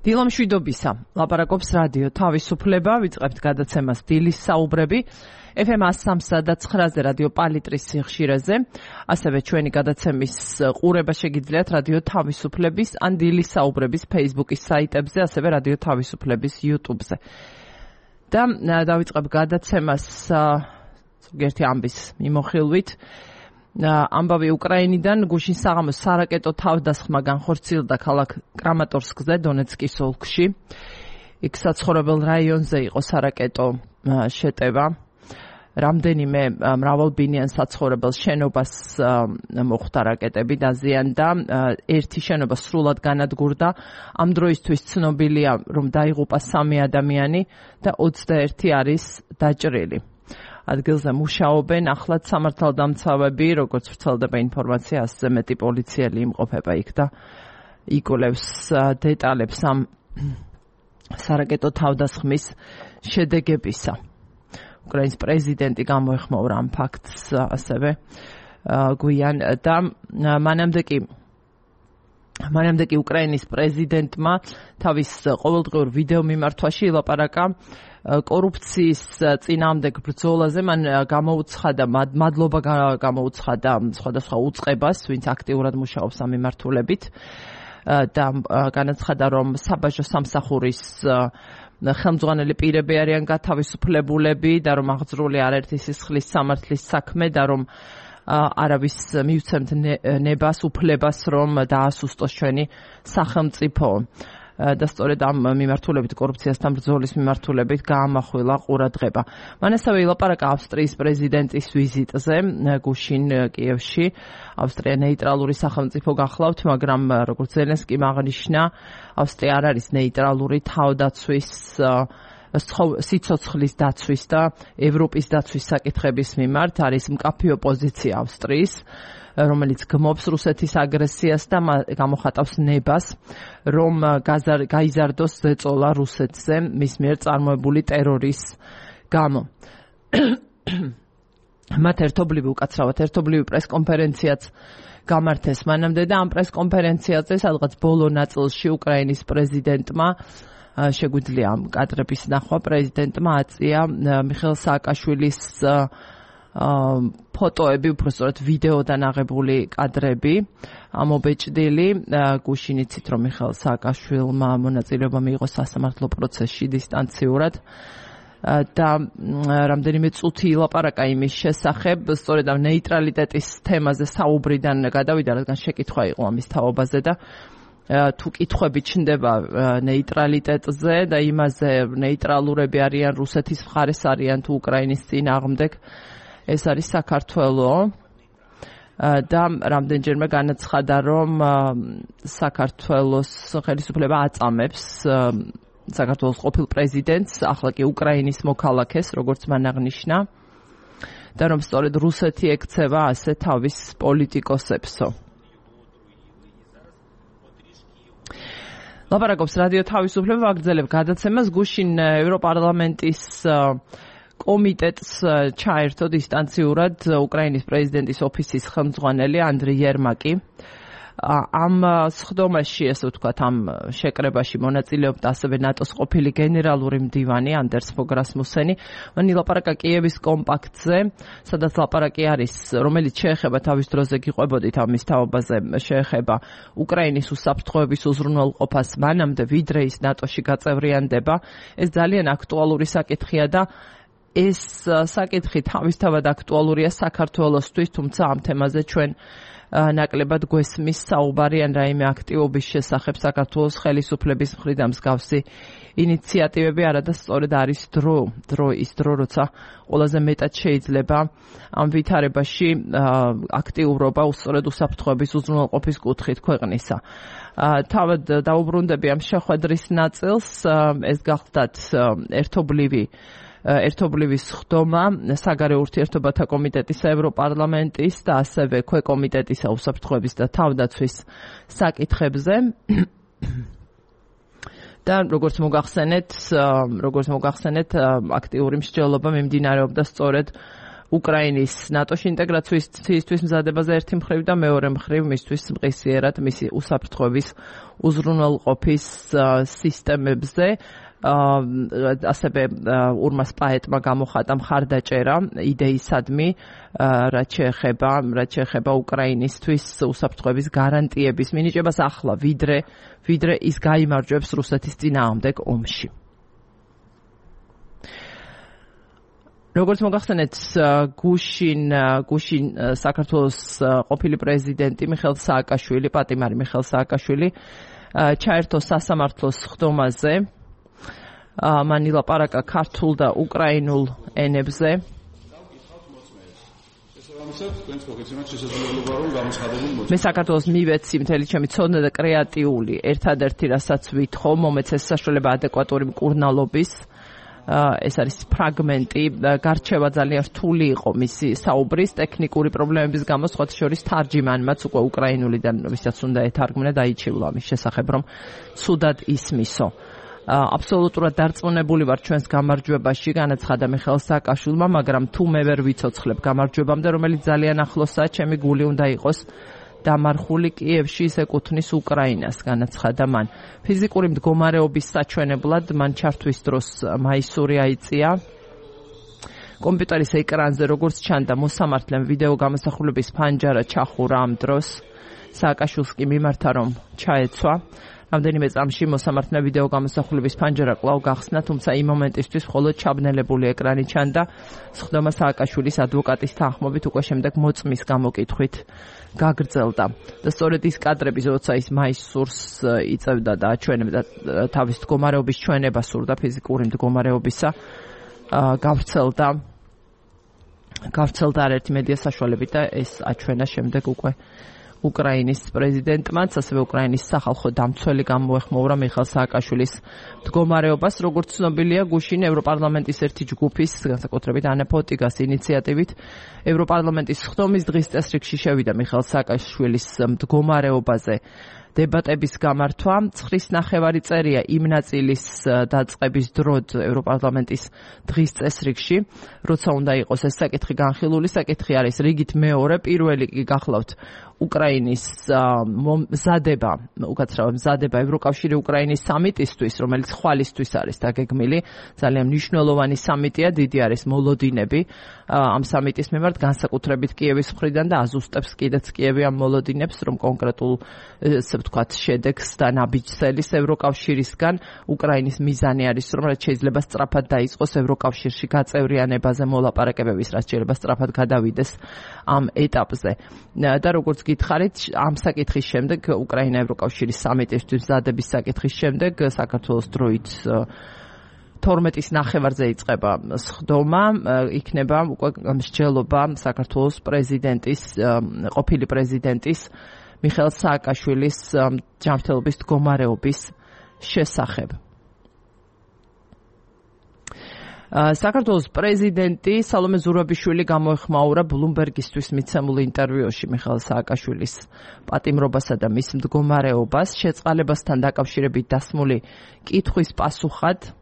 დილამშვიდობისა. ლაპარაკობს რადიო თავისუფლება, ვიწყებთ გადაცემას დილის საუბრები. FM 103.9-ზე რადიო პალიტრის სიხშირეზე. ასევე ჩვენი გადაცემის ყურება შეგიძლიათ რადიო თავისუფლების ან დილის საუბრების Facebook-ის საიტებზე, ასევე რადიო თავისუფლების YouTube-ზე. და დავიწყებ გადაცემას ზოგიერთი ამბის მიმოხილვით. ამბავი უკრაინიდან გუშინ საღამოს სარაკეტო თავდასხმა განხორციელდა ქალაქ კრამატორსკზე, დონეცკის ოლქში. იქ საცხოვრებელ რაიონზე იყო სარაკეტო შეტევა. რამდენიმე მრავალბინიან საცხოვრებელ შენობას მოხვდა რაკეტები დაზიანდა. ერთი შენობა სრულად განადგურდა. ამ დროისთვის ცნობილია, რომ დაიღუპა 3 ადამიანი და 21 არის დაჭრილი. ადგილზე მუშაობენ ახლად სამართალდამცავები, როგორც ვრცელდება ინფორმაცია, 100-ზე მეტი პოლიციელი იმყოფება იქ და იკვლევს დეტალებს ამ სარაკეტო თავდასხმის შედეგებისა. უკრაინის პრეზიდენტი გამოეხმაურა ამ ფაქტს ასევე გვიან და მანამდე კი უკრაინის პრეზიდენტმა თავის ყოველდღიურ ვიდეო მიმართვაში ილაპარაკა კორუფციის წინააღმდეგ ბრძოლაზე. მან გამოუცხადა მადლობა გამოუცხადა სხვადასხვა უწყებას, ვინც აქტიურად მუშაობს ამ მიმართულებით და განაცხადა, რომ საბაჟო სამსახურის ხელმძღვანელი პირები არიან გათავისუფლებულები და რომ აღძრული არაერთი სისხლის სამართლის საქმე და რომ არავის მივცემთ ნებას უფლებას, რომ დაასუსტოს ჩვენი სახელმწიფო. და სწორედ ამ მიმართულებით, კორუფციასთან ბრძოლის მიმართულებით გაამახვილა ყურადღება. მან ასევე ილაპარაკა ავსტრიის პრეზიდენტის ვიზიტზე გუშინ კიევში. ავსტრია ნეიტრალური სახელმწიფო გახლავთ, მაგრამ როგორც ზელენსკიმ აღნიშნა, ავსტრია არ არის ნეიტრალური თავდაცვის, სიცოცხლის დაცვის და ევროპის დაცვის საკითხების მიმართ. არის მკაფიო პოზიცია ავსტრიის, რომელიც გმობს რუსეთის აგრესიას და გამოხატავს ნებას, რომ გაიზარდოს ზეწოლა რუსეთზე მის მიერ წარმოებული ტერორის გამო. მათ უკაცრავად ერთობლივი პრესკონფერენციაც გამართეს მანამდე და ამ პრესკონფერენციაზე სადღაც ბოლო ნაწილში უკრაინის პრეზიდენტმა შეგვიძლია ამ კადრების ნახვა. პრეზიდენტმა აწია მიხეილ სააკაშვილის ფოტოები, უბრალოდ ვიდეოდან აღებული კადრები, ამობეჭდილი. გუშინ იცით, რომ მიხეილ სააკაშვილმა მონაწილეობა მიიღო სასამართლო პროცესში დისტანციურად და რამდენიმე წუთი ილაპარაკა იმის შესახებ, სწორედ ამ ნეიტრალიტეტის თემაზე საუბრიდან გადავიდა, რადგან შეკითხვა იყო ამის თაობაზე და თუ კითხვები ჩნდება ნეიტრალიტეტზე და იმაზე, ნეიტრალურები არიან რუსეთის მხარეს არიან თუ უკრაინის წინააღმდეგ, ეს არის საქართველო და რამდენჯერმე განაცხადა, რომ საქართველოს ხელისუფლება აწამებს საქართველოს ყოფილ პრეზიდენტს, ახლა კი უკრაინის მოქალაქეს, როგორც მან აღნიშნა, და რომ სწორედ რუსეთი ექცევა ასე თავის პოლიტიკოსებსო. ლაპარაკობს რადიო თავისუფლება, ვაგრძელებ გადაცემას. გუშინ ევროპარლამენტის კომიტეტს ჩაერთო დისტანციურად უკრაინის პრეზიდენტის ოფისის ხელმძღვანელი ანდრეი იერმაკი. ამ სხდომაში, ასე ვთქვათ, ამ შეკრებაში მონაწილეობდა ასევე ნატოს ყოფილი გენერალური მდივანი ანდერს ფოგ რასმუსენი. მან ილაპარაკა კიევის კომპაქტზე, სადაც ლაპარაკი არის, რომელიც შეეხება თავის დროზე გიყვებოდით ამის თაობაზე, შეეხება უკრაინის უსაფრთხოების უზრუნველყოფას მანამდე, ვიდრე ის ნატოში გაწევრიანდება. ეს ძალიან აქტუალური საკითხია და ეს საკითხი თავისთავად აქტუალურია საქართველოსთვის, თუმცა ამ თემაზე ჩვენ ნაკლებად გვესმის საუბარი ან რაიმე აქტივობის შესახებ საქართველოს ხელისუფლების მხრიდან მსგავსი ინიციატივები, არადა სწორედ არის დრო, როცა ყველაზე მეტად შეიძლება ამ ვითარებაში აქტიურობა უსწორედ უსაფრთხოების უზრუნველყოფის კუთხით ქვეყნისა. თავად დაუბრუნდები ამ შეხვედრის ნაწილს, ეს გახლდათ ერთობლივი სხდომა საგარეო ურთიერთობათა კომიტეტისა, ევროპარლამენტის და ასევე ქვეკომიტეტისა უსაფრთხოების და თავდაცვის საკითხებზე. და როგორც მოგახსენეთ, აქტიური მსჯელობა მიმდინარეობდა სწორედ უკრაინის ნატოში ინტეგრაციისთვის მზადებაზე ერთი მხრივ და მეორე მხრივ მისთვის მყისიერად მისი უსაფრთხოების უზრუნველყოფის სისტემებზე. ასევე ურმას პაეტმა გამოხატა მხარდაჭერა იდეისადმი, რაც შეეხება უკრაინისთვის უსაფრთხოების გარანტიების მინიჭებას ახლა, ვიდრე ის გაიმარჯვებს რუსეთის წინააღმდეგ ომში. როგორც მოგახსენეთ, გუშინ საქართველოს ყოფილი პრეზიდენტი მიხეილ სააკაშვილი, პატიმარი მიხეილ სააკაშვილი ჩაერთო სასამართლოს ხდომაზე. მან ილაპარაკა ქართულ და უკრაინულ ენებზე. მე საქართველოს მივეცი მთელი ჩემი ცოდნა და კრეატიული ერთადერთი რასაც ვითხოვ, მომეცეს საშუალება ადეკვატური მკურნალობის. ეს არის ფრაგმენტი, გარჩევა ძალიან რთული იყო მისი საუბრის ტექნიკური პრობლემების გამო, სხვათა შორის თარჯიმანმაც უკვე უკრაინულიდან ვისაც უნდა ეთარგმნა დაიჩივლა ამის შესახებ, რომ ცუდად ისმისო. აბსოლუტურად დარწმუნებული ვარ ჩვენს გამარჯვებაში, განაცხადა მიხეილ სააკაშვილმა, მაგრამ თუ მე ვერ ვიცოცხლებ გამარჯვებამდე, რომელიც ძალიან ახლოსაა, ჩემი გული უნდა იყოს დამარხული კიევში, ის ეკუთვნის უკრაინას, განაცხადა მან. ფიზიკური მდგომარეობის საჩვენებლად მან ჩართვის დროს მაისური აიწია. კომპიუტერის ეკრანზე როგორც ჩანდა, მოსამართლემ ვიდეო გამოსახულების ფანჯარა ჩახურა ამ დროს. სააკაშვილს კი მიმართა, რომ ჩაეცვა. რამდენიმე წამში მოსამართლემ ვიდეო გამოსახულების ფანჯარა კვლავ გახსნა, თუმცა იმ მომენტისთვის მხოლოდ ჩაბნელებული ეკრანი ჩანდა. სხდომა სააკაშვილის ადვოკატის თანხმობით უკვე შემდეგ მოწმის გამოკითხვით გაგრძელდა. და სწორედ ის კადრები, როცა ის მაისურს იწევდა და აჩვენებდა თავის მდგომარეობის ჩვენება სურდა ფიზიკური მდგომარეობისა, გავრცელდა არაერთი მედია საშუალებით და ეს აჩვენა შემდეგ უკვე უკრაინის პრეზიდენტმაც, ასევე უკრაინის სახალხო დამცველი გამოეხმოურა მიხეილ სააკაშვილის მდგომარეობას. როგორც ცნობილია, გუშინ ევროპარლამენტის ერთი ჯგუფის, განსაკუთრებით ანა ფოტიგას ინიციატივით, ევროპარლამენტის ხდომის დღის წესრიგში შევიდა მიხეილ სააკაშვილის მდგომარეობაზე დებატების გამართვა. 9.5 წერია იმ ნაწილის დაწყების დროდ ევროპარლამენტის დღის წესრიგში, როცა უნდა იყოს ეს საკითხი განხილული. საკითხი არის რიგით მეორე, პირველი კი გახლავთ უკრაინის მზადება ევროკავშირი უკრაინის სამიტისთვის, რომელიც ხვალისთვის არის დაგეგმილი. ძალიან მნიშვნელოვანი სამიტია, დიდი არის მოლოდინები ამ სამიტის მიმართ, განსაკუთრებით კიევის მხრიდან და აზუსტებს კიდეც კიევი ამ მოლოდინებს, რომ კონკრეტულ შედეგს და ნაბიჯს ევროკავშირისგან. უკრაინის მიზანი არის, რომ რაც შეიძლება სწრაფად დაიწყოს ევროკავშირში გაწევრიანებაზე მოლაპარაკებების, რაც შეიძლება სწრაფად გადავიდეს ამ ეტაპზე. და როგორც გითხარით, ამ საკითხის შემდეგ, უკრაინა ევროკავშირის სამიტისთვის მზადების საკითხის შემდეგ, საქართველოს დროით 12-ის ნახევარზე იწყება სხდომა, იქნება უკვე მსჯელობა საქართველოს ყოფილი პრეზიდენტის მიხეილ სააკაშვილის ჯანმრთელობის მდგომარეობის შესახებ. საქართველოს პრეზიდენტი სალომე ზურაბიშვილი გამოეხმაურა ბლუმბერგისთვის მიცემულ ინტერვიუში მიხეილ სააკაშვილის პატიმრობასა და მის მდგომარეობას. შეწყალებასთან დაკავშირებით დასმული კითხვის პასუხად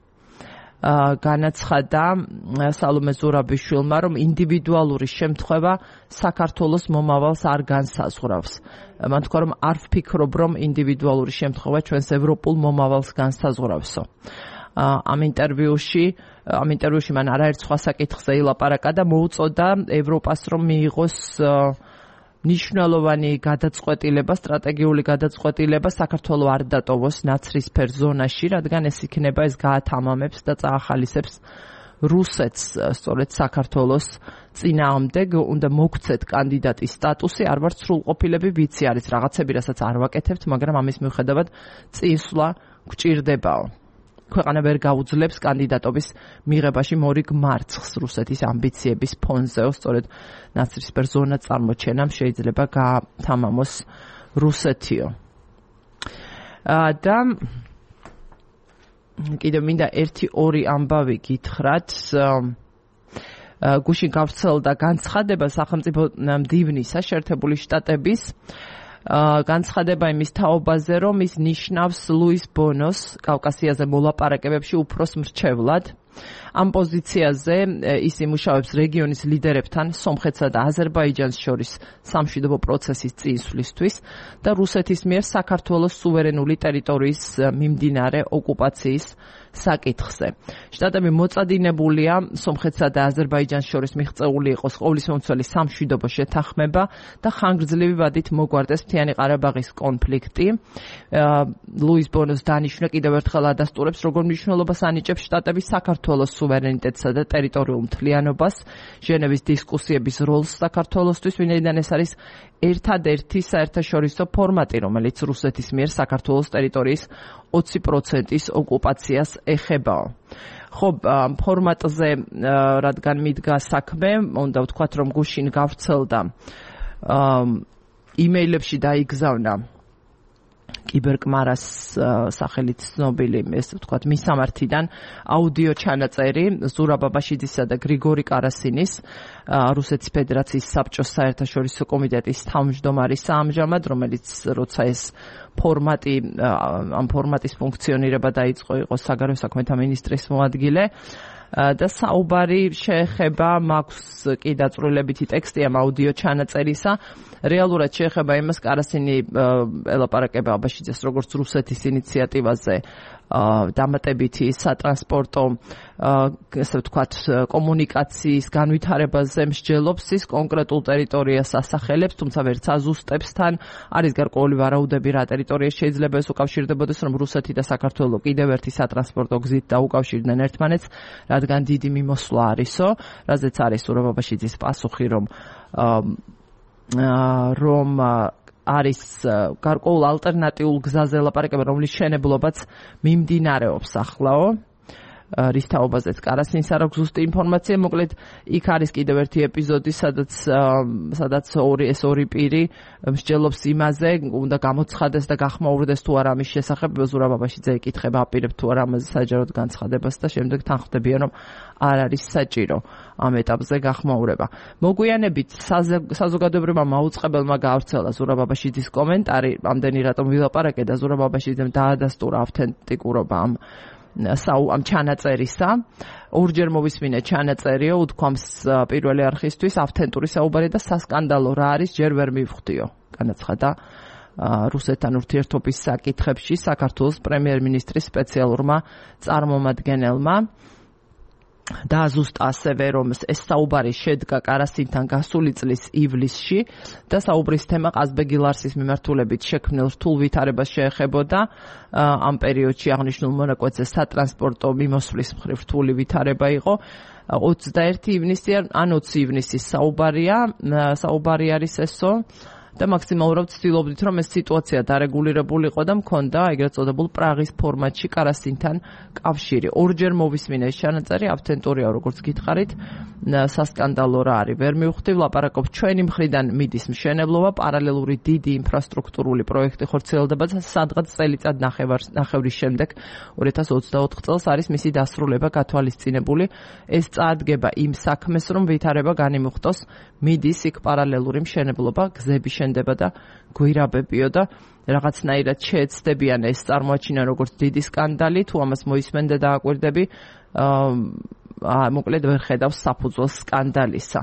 განაცხადა სალომე ზურაბიშვილმა, რომ ინდივიდუალური შემთხვევა საქართველოს მომავალს არ განსაზღვრავს. მან თქვა, რომ არ ვფიქრობ, რომ ინდივიდუალური შემთხვევა ჩვენს ევროპულ მომავალს განსაზღვრავსო. ამ ინტერვიუში მან არაერთ სხვა საკითხზე ილაპარაკა და მოუწოდა ევროპას, რომ მიიღოს მნიშვნელოვანი გადაწყვეტილება, სტრატეგიული გადაწყვეტილება საქართველოს არ დატოვოს ნაცრისფერ ზონაში, რადგან ეს იქნება, ეს გაათამამებს და წაახალისებს რუსეთს სწორედ საქართველოს წინააღმდეგ. უნდა მოგცეთ კანდიდატის სტატუსი, არ ვართ სრულყოფილები, ვიცი არის რაღაცები, რასაც არ ვაკეთებთ, მაგრამ ამის მიუხედავად წინსვლა გვჭირდებაო. ქვეყანა ვერ გაუძლებს კანდიდატობის მიღებაში მორიგ მარცხს რუსეთის ამბიციების ფონზეო, სწორედ ნაცრისფერ ზონა წარმოჩენამ შეიძლება გაათამამოს რუსეთიო. და კიდევ მინდა 1-2 ამბავი გითხრათ. გუშინ გავრცელდა განცხადება სახელმწიფო მდივნისა შეერთებული შტატების განცხადება იმის თაობაზე, რომ ის ნიშნავს ლუის ბონოს კავკასიაზე მოლაპარაკებებში უფროს მრჩევლად. ამ პოზიციაზე ის იმუშავებს რეგიონის ლიდერებთან სომხეთსა და აზერბაიჯანს შორის სამშვიდობო პროცესის წინსვლისთვის და რუსეთის მიერ საქართველოს სუვერენული ტერიტორიის მიმდინარე ოკუპაციის საკითხზე. შტატები მოწადინებულია სომხეთსა და აზერბაიჯანს შორის მიღწეული იყოს ყოვლისმომცველი სამშვიდობო შეთანხმება და ხანგრძლივი ვადით მოგვარდეს მთიანი ყარაბაღის კონფლიქტი. ლუის ბონოს დანიშვნა კიდევ ერთხელ ადასტურებს, როგორ მნიშვნელობას ანიჭებს შტატების საქართველოს სუვერენიტეტსა და ტერიტორიულ მთლიანობას, ჟენევის დისკუსიების როლს საქართველოსთვის, ვინაიდან ეს არის ერთადერთი საერთაშორისო ფორმატი, რომელიც რუსეთის მიერ საქართველოს ტერიტორიის 20%-ის ოკუპაციას ეხებაო. ხო, ფორმატზე რადგან მიდგა საქმე, უნდა ვთქვათ, რომ გუშინ გავრცელდა იმეილებში დაიგზავნა კიბერკმარას სახელით ცნობილი, ესე ვთქვათ, მისამართიდან აუდიო ჩანაწერი ზურაბ აბაშიძისა და გრიგორი კარასინის, რუსეთის ფედერაციის საბჭოს საერთაშორისო კომიტეტის თავმჯდომარის ამჟამად, რომელიც როცა ეს ფორმატი, ამ ფორმატის ფუნქციონირება დაიწყო, იყო საგარეო საქმეთა მინისტრის მოადგილე. და საუბარი შეეხება, მაქვს კი დაწვრილებითი ტექსტი ამ აუდიო ჩანაწერისა, რეალურად შეეხება იმას, კარასინი ელაპარაკება აბაშიძეს როგორც რუსეთის ინიციატივაზე დამატებითი სატრანსპორტო, ესე ვთქვათ, კომუნიკაციის განვითარებაზე მსჯელობს, ის კონკრეტულ ტერიტორიას ასახელებს, თუმცა ვერც აზუსტებს თან, არის გარკვეული ვარაუდები რა ტერიტორია შეიძლება ეს უკავშირდებოდეს, რომ რუსეთი და საქართველო კიდევ ერთი სატრანსპორტო გზით დაუკავშირდნენ ერთმანეთს, რადგან დიდი მიმოსვლა არისო, რაზეც არის ზურაბ აბაშიძის პასუხი, რომ არის გარკვეულ ალტერნატიულ გზაზე ლაპარაკება, რომლის შენებლობაც მიმდინარეობსახლაო. რის თაობაზეც კარასინს არ აქვს ზუსტი ინფორმაცია, მოკლედ იქ არის კიდევ ერთი ეპიზოდი, სადაც ეს ორი პირი მსჯელობს იმაზე, უნდა გამოცხადეს და გახმაურდეს თუ არა ამის შესახებ, ზურაბ აბაშიძე ეკითხება, აპირებ თუ არა ამაზე საჯაროდ განცხადებას და შემდეგ თან ხვდებიან, რომ არ არის საჭირო ამ ეტაპზე გახმაურება. მოგვიანებით საზოგადოებრივმა მაუწყებელმა გაავრცელა ზურაბ აბაშიძის კომენტარი, ამდენი რატომ ვილაპარაკე და ზურაბ აბაშიძემ დაადასტურა ავთენტიკურობა ამ ჩანაწერისა. ორჯერ მოვისმინე ჩანაწერიო, უთქვამს პირველი არხისთვის, ავთენტური საუბარი და სასკანდალო რა არის, ჯერ ვერ მივხვდიო, განაცხადა რუსეთთან ურთიერთობის საკითხებში საქართველოს პრემიერ-მინისტრის სპეციალურმა წარმომადგენელმა. დააზუსტა ასევე, რომ ეს საუბარი შედგა კარასინთან გასული წლის ივლისში და საუბრის თემა ყაზბეგი ლარსის მიმართულებით შექმნილ რთულ ვითარებას შეეხებოდა. ამ პერიოდში აღნიშნულ მონაკვეთზე სატრანსპორტო მიმოსვლის მხრივ რთული ვითარება იყო. 21 ივნისი ან 20 ივნისის საუბარი არის ესო. და მაქსიმალურად ვცდილობდით, რომ ეს სიტუაცია დარეგულირებულიყო და მქონდა ეგრეთ წოდებულ პრაღის ფორმატში კარასინთან კავშირი. ორჯერ მოვისმინე ეს ჩანაწერი, ავთენტურია, როგორც გითხარით, სასკანდალო რა არის, ვერ მივხვდი, ვლაპარაკობ ჩვენი მხრიდან მიდის მშენებლობა, პარალელური დიდი ინფრასტრუქტურული პროექტი ხორციელდება და სადღაც წელიწად ნახევრის შემდეგ 2024 წელს არის მისი დასრულება გათვალისწინებული. ეს წარდგება იმ საქმეს, რომ ვითარება განიმუხტოს, მიდის იქ პარალელური მშენებლობა, გზები შენდება და გვირაბებიო და რაღაცნაირად შეეცდებიან ეს წარმოაჩინა როგორც დიდი სკანდალი, თუ ამას მოისმენ და დააკვირდები, მოკლედ ვერ ხედავს საფუძველს სკანდალისა.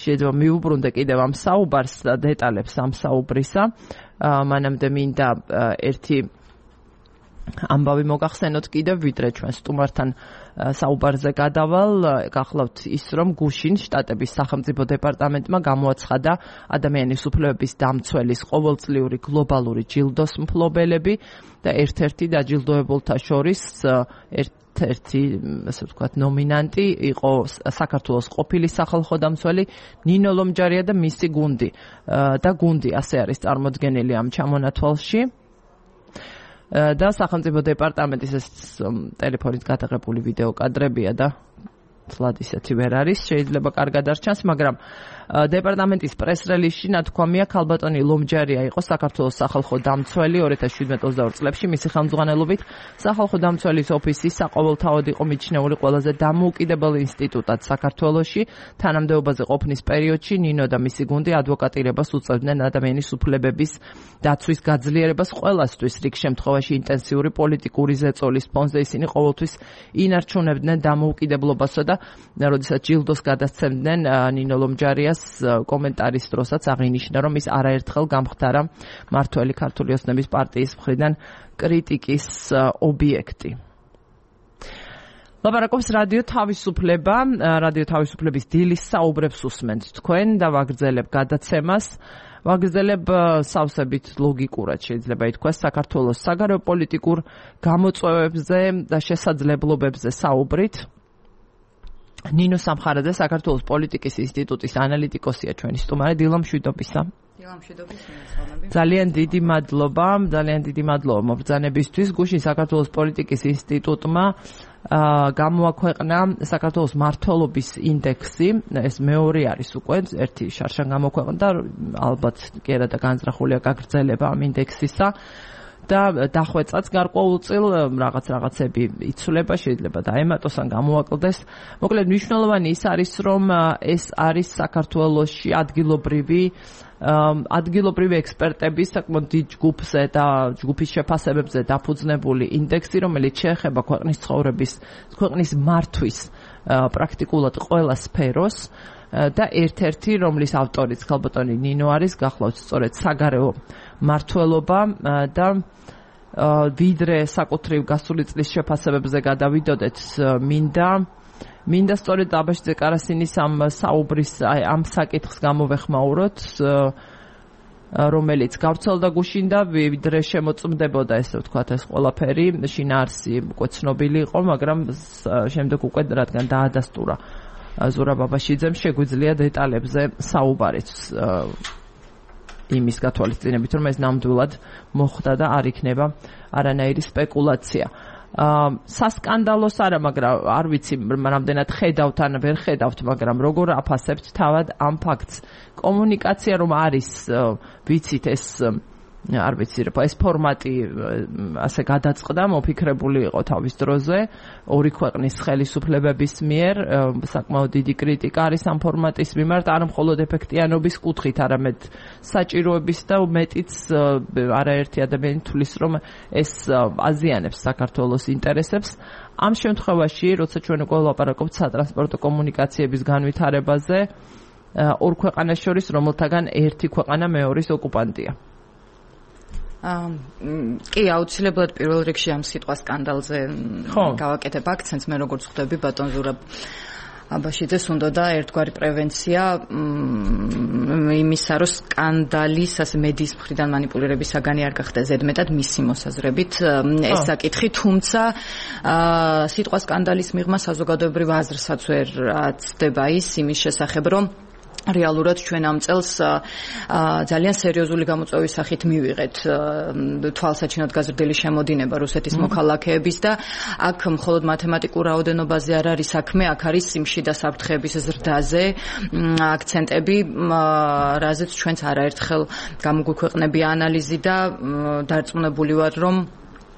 შეიძლება მიუბრუნდე კიდევ ამ საუბარს და დეტალებს ამ საუბრისა. მანამდე მინდა ერთი ამბავი მოგახსენოთ კიდევ, ვიდრე ჩვენ სტუმართან საუბარზე გადავალ, გახლავთ ის, რომ გუშინ შტატების სახელმწიფო დეპარტამენტმა გამოაცხადა ადამიანის უფლებების დამცველის ყოველწლიური გლობალური ჯილდოს მფლობელები და ერთ-ერთი დაჯილდოებულთა შორის ერთ-ერთი, ასე ვთქვათ, ნომინანტი იყო საქართველოს ყოფილი სახალხო დამცველი ნინო ლომჯარია და მისი გუნდი. და გუნდი ასე არის წარმოდგენილი ამ ჩამონათვალში. და სახელმწიფო დეპარტამენტის ეს ტელეფონით გადაღებული ვიდეო კადრებია და მართლად ისეთი ვერ არის, შეიძლება კარგად არ ჩანს, მაგრამ დეპარტამენტის პრეს-რელიზში ნათქვამია, ქალბატონი ლომჯარია იყო საქართველოს სახალხო დამცველი 2017-22 წლებში, მისი ხელმძღვანელობით სახალხო დამცველის ოფისი საყოველთაოდ იყო მიჩნეული ყველაზე დამოუკიდებელი ინსტიტუტად საქართველოში. თანამდებობაზე ყოფნის პერიოდში ნინო და მისი გუნდი ადვოკატირებას უწევდნენ ადამიანის უფლებების დაცვის გაძლიერებას ყველასთვის, რიგ შემთხვევაში ინტენსიური პოლიტიკური ზეწოლის ფონზე ისინი ყოველთვის ინარჩუნებდნენ დამოუკიდებლობასა და როდესაც ჯილდოს გადასცემდნენ ნინო ლომჯარიას კომენტარის დროსაც აღინიშნა, რომ ის არაერთხელ გამხდარა მართველი ქართული ოცნების პარტიის მხრიდან კრიტიკის ობიექტი. ლაპარაკობს რადიო თავისუფლება, რადიო თავისუფლების დილის საუბრებს უსმენთ თქვენ და ვაგრძელებ გადაცემას. ვაგრძელებ სავსებით ლოგიკურად შეიძლება ითქვას საქართველოს საგარეო პოლიტიკურ გამოწვევებზე და შესაძლებლობებზე საუბრით. ნინო სამხარაძე საქართველოს პოლიტიკის ინსტიტუტის ანალიტიკოსია ჩვენი სტუმარი. დილა მშვიდობისა. ძალიან დიდი მადლობა მობრძანებისთვის. გუშინ საქართველოს პოლიტიკის ინსტიტუტმა გამოაქვეყნა საქართველოს მმართველობის ინდექსი. ეს მეორე არის უკვე, ერთი შარშან გამოქვეყნდა, ალბათ კი არა და განზრახულია გაგრძელება ამ ინდექსისა. და დახვეწაც გარკვეულწილ რაღაცები იცვლება, შეიძლება დაემატოს ან გამოაკლდეს. მოკლედ მნიშვნელოვანი ის არის, რომ ეს არის საქართველოში ადგილობრივი ექსპერტების საკმაოდ დიდ ჯგუფზე და ჯგუფის შეფასებებზე დაფუძნებული ინდექსი, რომელიც შეეხება ქვეყნის მართვის პრაქტიკულად ყველა სფეროს და ერთ-ერთი, რომლის ავტორიც ქალბატონი ნინო არის, გახლავთ სწორედ საგარეო მმართველობა და ვიდრე საკუთრივ გასული წლის შეფასებებზე გადავიდოდეთ, მინდა სწორედ აბაშიძე კარასინის ამ საუბრის ამ საკითხს გამოვეხმაუროთ, რომელიც გავრცელდა გუშინ და ვიდრე შემოწმდებოდა, ესე ვთქვათ, ეს ყველაფერი შინაარსი უკვე ცნობილი იყო, მაგრამ შემდეგ უკვე რადგან დაადასტურა ზურაბ აბაშიძემ, შეგვიძლია დეტალებზე საუბარიც იმის გათვალისწინებით, რომ ეს ნამდვილად მოხდა და არ იქნება არანაირი სპეკულაცია. სასკანდალოს არა, მაგრამ არ ვიცი რამდენად ხედავთ ან ვერ ხედავთ, მაგრამ როგორ აფასებთ თავად ამ ფაქტს. კომუნიკაცია რომ არის, ვიცით ეს არ ვიცი, ეს ფორმატი ასე გადაწყდა, მოფიქრებული იყო თავის დროზე ორი ქვეყნის ხელისუფლებების მიერ, საკმაოდ დიდი კრიტიკა არის ამ ფორმატის მიმართ, არა მხოლოდ ეფექტიანობის კუთხით, არამედ საჭიროების და მეტიც არაერთი ადამიანი თვლის, რომ ეს აზიანებს საქართველოს ინტერესებს. ამ შემთხვევაში, როცა ჩვენ უკვე ვლაპარაკობთ სატრანსპორტო კომუნიკაციების განვითარებაზე, ორ ქვეყანას შორის, რომელთაგან ერთი ქვეყანა მეორის ოკუპანტია. კი, აუცილებლად პირველ რიგში ამ სიტყვა სკანდალზე გავაკეთებ აქცენტს. მე როგორც ხვდები ბატონ ზურაბ აბაშიძეს უნდა და ერთგვარი პრევენცია იმისა, რომ სკანდალის ასე მედიის მხრიდან манипуლირების საგანი არ გახდა ზედმეტად მისი მოსაზრებით ეს საკითხი, თუმცა სიტყვა სკანდალის მიღმა საზოგადოებრივ აზრსაც ვერ აცდება ის იმის შესახებ, რომ რეალურად ჩვენ ამ წელს ძალიან სერიოზული გამოწვევის სახით მივიღეთ თვალსაჩინოდ გაზრდილი შემოდინება რუსეთის მოქალაქეების და აქ მხოლოდ მათემატიკურ რაოდენობაზე არ არის საქმე, აქ არის სიმში და საფრთხეების ზრდაზე აქცენტები, რაზეც ჩვენც არაერთხელ გამოგვიქვეყნებია ანალიზი და დარწმუნებული ვარ, რომ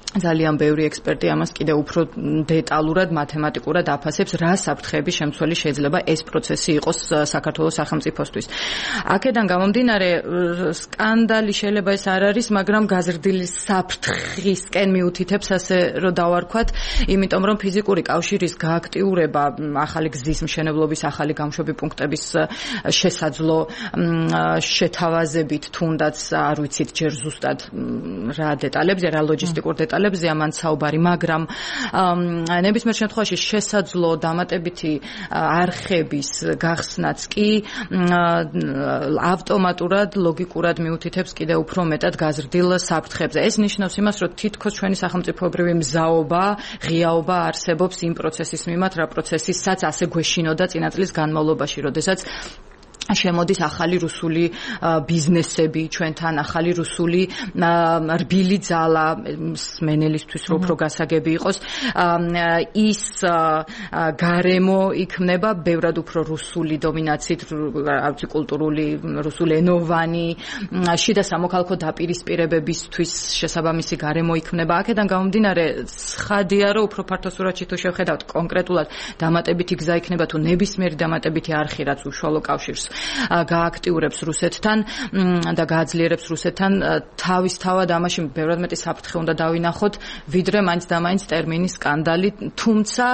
ძალიან ბევრი ექსპერტი ამას კიდევ უფრო დეტალურად, მათემატიკურად აფასებს, რა საფრთხეების შემცველი შეიძლება ეს პროცესი იყოს საქართველოს სახელმწიფოსთვის. აქედან გამომდინარე, სკანდალი შეიძლება ეს არ არის, მაგრამ გაზრდილი საფრთხისკენ მიუთითებს, ასე რომ დავარქვათ, იმიტომ რომ ფიზიკური კავშირის გააქტიურება, ახალი გზის მშენებლობის, ახალი გამშვები პუნქტების შესაძლო შეთავაზებით, თუნდაც არ ვიცით ჯერ ზუსტად რა დეტალებზე, რა ლოჯისტიკურ დეტალებზე ამან საუბარი, მაგრამ ნებისმიერ შემთხვევაში შესაძლო დამატებითი არხების გახსნაც კი ავტომატურად, ლოგიკურად მიუთითებს კიდევ უფრო მეტად გაზრდილ საფრთხებზე. ეს ნიშნავს იმას, რომ თითქოს ჩვენი სახელმწიფოებრივი მზაობა, ღიაობა არსებობს იმ პროცესის მიმართ, რა პროცესისაც ასე გვეშინოდა წინა წლის განმავლობაში, როდესაც შემოდის ახალი რუსული ბიზნესები ჩვენთან, ახალი რუსული რბილი ძალა მენელისთვის რო უფრო გასაგები იყოს, ის გარემო იქნება ბევრად უფრო რუსული დომინაციით, კულტურული, რუსულენოვანი, შიდა სამოქალაქო დაპირისპირებებისთვის შესაბამისი გარემო იქნება. აქედან გამომდინარე, ცხადია, რომ უფრო ფართო სურათში თუ შევხედავთ კონკრეტულად დამატებითი გზა იქნება თუ ნებისმიერი დამატებითი არხი, რაც უშუალო კავშირს გააქტიურებს რუსეთთან და გააძლიერებს რუსეთთან, თავისთავად ამაში ბევრად მეტი საფრთხე უნდა დავინახოთ, ვიდრე მაინც და მაინც ტერმინის სკანდალი, თუმცა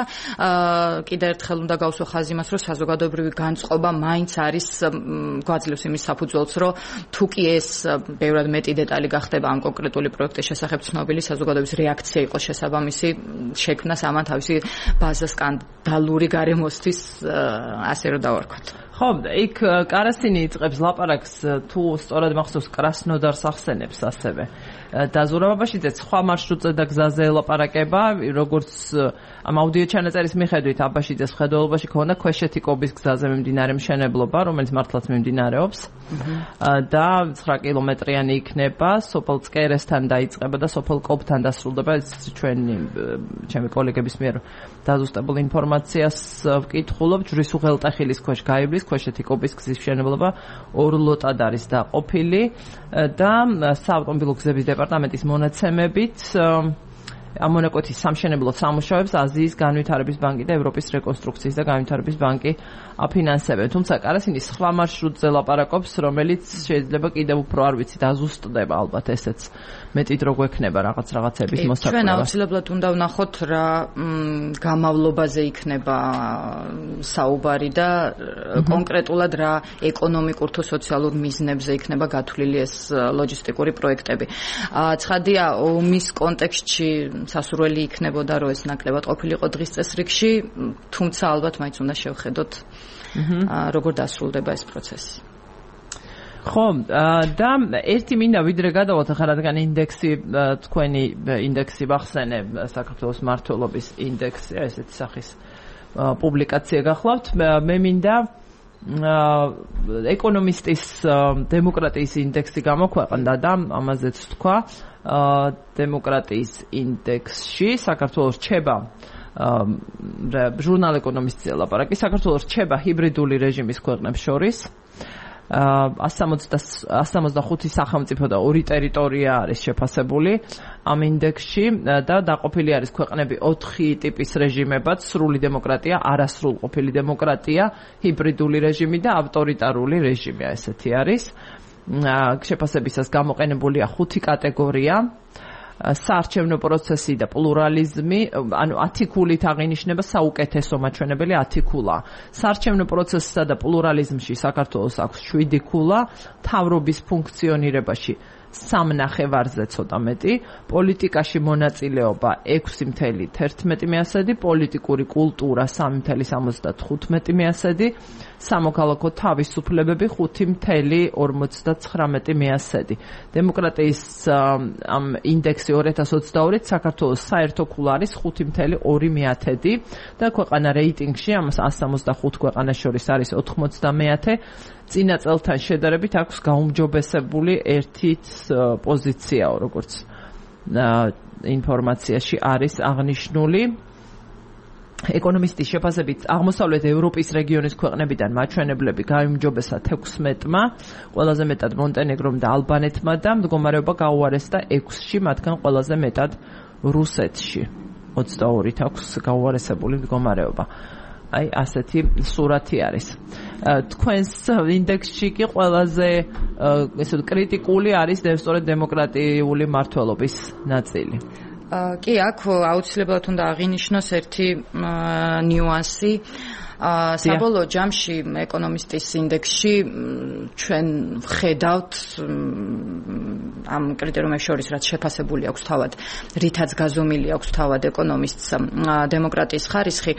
კიდევ ერთხელ უნდა გავსვა ხაზი იმას, რომ საზოგადოებრივი განწყობა მაინც არის გვაძლევს იმის საფუძველს, რომ თუ კი ეს ბევრად მეტი დეტალი გახდება ამ კონკრეტული პროექტის შესახებ ცნობილი, საზოგადოების რეაქცია იყოს შესაბამისი, შექმნას ამან თავისი ბაზა სკანდალური გარემოსთვის, ასე რომ დავარქვათ. ხო, იქ კარასინი იწყებს ლაპარაკს, თუ სწორად მახსოვს, კრასნოდარს ახსენებს ასევე. დაზურავებაშიძეც სხვა მარშრუტზე და გზაზე ელაპარაკება, როგორც ამ აუდიო ჩანაწერის მიხედვით აბაშიძეს მხედველობაში ქონდა ქვეშეთი კობის გზაზე მიმდინარე მშენებლობა, რომელიც მართლაც მიმდინარეობს და 9 კილომეტრიანი იქნება, სოფელ წკერესთან დაიწყება და სოფელ კობთან დასრულდება. ეს ჩემი კოლეგების მიერ დაზუსტებულ ინფორმაციას ვკითხულობ. ჯვრის უღელტეხილის ქვეშ გაივლის ქვეშეთი კობის გზის მშენებლობა 2 ლოტად არის დაყოფილი და საავტომობილო გზების დეპარტამენტის მონაცემებით ამონაკვეთის სამშენებლო სამუშაოებს აზიის განვითარების ბანკი და ევროპის რეკონსტრუქციის და განვითარების ბანკი აფინანსებენ. თუმცა კარასინის სხვა მარშრუტზე ლაპარაკობს, რომელიც შეიძლება კიდევ უფრო არ ვიცი დაზუსტდება, ალბათ ესეც მეტი დრო გვექნება რაღაცების მოსაკვირვად. ჩვენ აუცილებლად უნდა ვნახოთ რა გამავლობაზე იქნება საუბარი და კონკრეტულად რა ეკონომიკურ თუ სოციალურ მიზნებზე იქნება გათვლილი ეს ლოჯისტიკური პროექტები. ცხადია, ომის კონტექსტში სასურველი იქნებოდა, რომ ეს ნაკლებად ყოფილიყო დღის წესრიგში, თუმცა ალბათ მაინც უნდა შევხედოთ როგორ დასრულდება ეს პროცესი. ხო, და ერთი მინდა ვიდრე გადავალთ ახლა, რადგან ინდექსი, თქვენი ინდექსი ვახსენე, საქართველოს მმართველობის ინდექსი, ესეთი სახის პუბლიკაცია გახლავთ. მე მინდა ეკონომისტის დემოკრატიის ინდექსი გამოქვეყნდა და ამაზეც თქვა, დემოკრატიის ინდექსში საქართველოს რჩება ჟურნალ ეკონომისტზე ლაპარაკი, საქართველოს რჩება ჰიბრიდული რეჟიმის ქვეყნებს შორის. 165 სახელმწიფო და 2 ტერიტორია არის შეფასებული ამ ინდექსში და დაყოფილი არის ქვეყნები 4 ტიპის რეჟიმებად: სრული დემოკრატია, არასრულყოფილი დემოკრატია, ჰიბრიდული რეჟიმი და ავტორიტარული რეჟიმი. ესეთი არის. შეფასებისას გამოყენებულია 5 კატეგორია: საარჩევნო პროცესი და პლურალიზმი, ანუ 10 ქულით აღინიშნება საუკეთესო მაჩვენებელი 10 ქულა. საარჩევნო პროცესსა და პლურალიზმში საქართველოს აქვს 7 ქულა, მთავრობის ფუნქციონირებაში 3 ნახევარზე ცოტა მეტი, პოლიტიკაში მონაწილეობა 6.11, პოლიტიკური კულტურა 3.75, სამოქალაქო თავისუფლებები 5.59. დემოკრატიის ამ ინდექსი 2022 საქართველოს საერთო ქულა არის 5.2 და ქვეყანა რეიტინგში ამ 165 ქვეყანას შორის არის 90. წინა წელთან შედარებით აქვს გაუმჯობესებული 1 პოზიციაო, როგორც ინფორმაციაში არის აღნიშნული. ეკონომისტის შეფასებით აღმოსავლეთ ევროპის რეგიონის ქვეყნებიდან მაჩვენებლები გაიმჯობესა 16-მა, ყველაზე მეტად მონტენეგრომ და ალბანეთმა და მდგომარეობა გაუარესდა 6-ში, მათგან ყველაზე მეტად რუსეთში. 22-ით აქვს გაუარესებული მდგომარეობა. აი, ასეთი სურათი არის. თქვენს ინდექსში კი ყველაზე ესე კრიტიკული არის სწორედ დემოკრატიული მმართველობის ნაწილი. კი, აქ აუცილებლად უნდა აღინიშნოს ერთი ნიუანსი. საბოლოო ჯამში ეკონომისტის ინდექსში ჩვენ ვხედავთ ამ კრიტერიუმებს შორის, რაც შეფასებული აქვს თავად, რითაც გაზომილი აქვს თავად ეკონომისტს დემოკრატიის ხარისხი,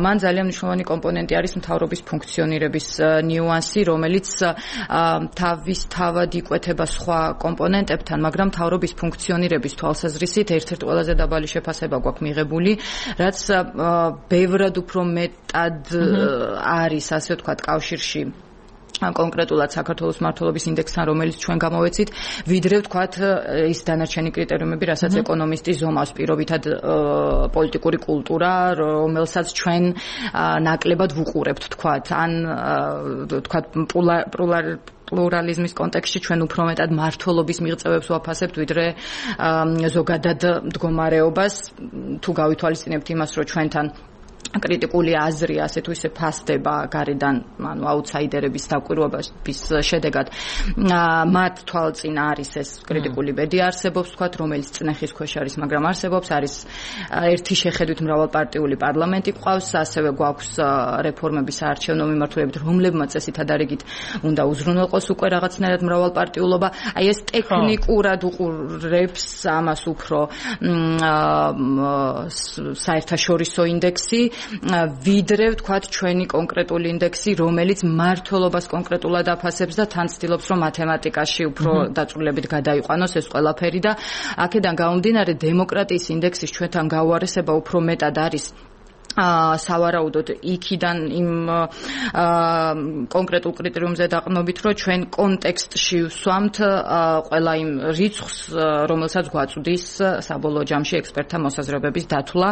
მან ძალიან მნიშვნელოვანი კომპონენტი არის მთავრობის ფუნქციონირების ნიუანსი, რომელიც თავისთავად იკვეთება სხვა კომპონენტებთან, მაგრამ მთავრობის ფუნქციონირების თვალსაზრისით ერთ-ერთი ყველაზე დაბალი შეფასება გვაქვს მიღებული, რაც ბევრად უფრო მეტად არის, ასე ვთქვათ, კავშირში კონკრეტულად საქართველოს მმართველობის ინდექსთან, რომელიც ჩვენ გამოვეცით, ვიდრე ვთქვათ ის დანარჩენი კრიტერიუმები, რასაც ეკონომისტი ზომავს, პირობითად პოლიტიკური კულტურა, რომელსაც ჩვენ ნაკლებად ვუყურებთ, ვთქვათ, ან ვთქვათ პლურალიზმის კონტექსტში ჩვენ უფრო მეტად მმართველობის მიღწევებს ვაფასებთ, ვიდრე ზოგადად მდგომარეობას, თუ გავითვალისწინებთ იმას, რომ ჩვენთან კრიტიკული აზრი ასე თუ ისე ფასდება გარედან, ანუ აუთსაიდერების დაკვირვების შედეგად მათ თვალწინ არის ეს კრიტიკული ბედი არსებობს, ვთქვათ, რომელიც წნეხის ქვეშ არის, მაგრამ არსებობს, არის ერთი შეხედვით მრავალპარტიული პარლამენტი გვყავს, ასევე გვაქვს რეფორმების საარჩევნო მიმართულებით, რომლებმაც წესითა დარიგით უნდა უზრუნველყოს უკვე რაღაცნაირად მრავალპარტიულობა. აი ეს ტექნიკურად უყურებს ამას უფრო საერთაშორისო ინდექსი, ვიდრე ვთქვათ ჩვენი კონკრეტული ინდექსი, რომელიც მმართველობას კონკრეტულად აფასებს და თან ცდილობს, რომ მათემატიკაში უფრო დაწვრილებით გადაიყვანოს ეს ყველაფერი და აქედან გამომდინარე დემოკრატიის ინდექსის ჩვენთან გაუარესება უფრო მეტად არის სავარაუდოდ იქიდან იმ კონკრეტულ კრიტერიუმზე დაყრდნობით, რომ ჩვენ კონტექსტში ვსვამთ ყველა იმ რიცხვს, რომელსაც გვაწვდის საბოლოო ჯამში ექსპერტთა მოსაზრებების დათვლა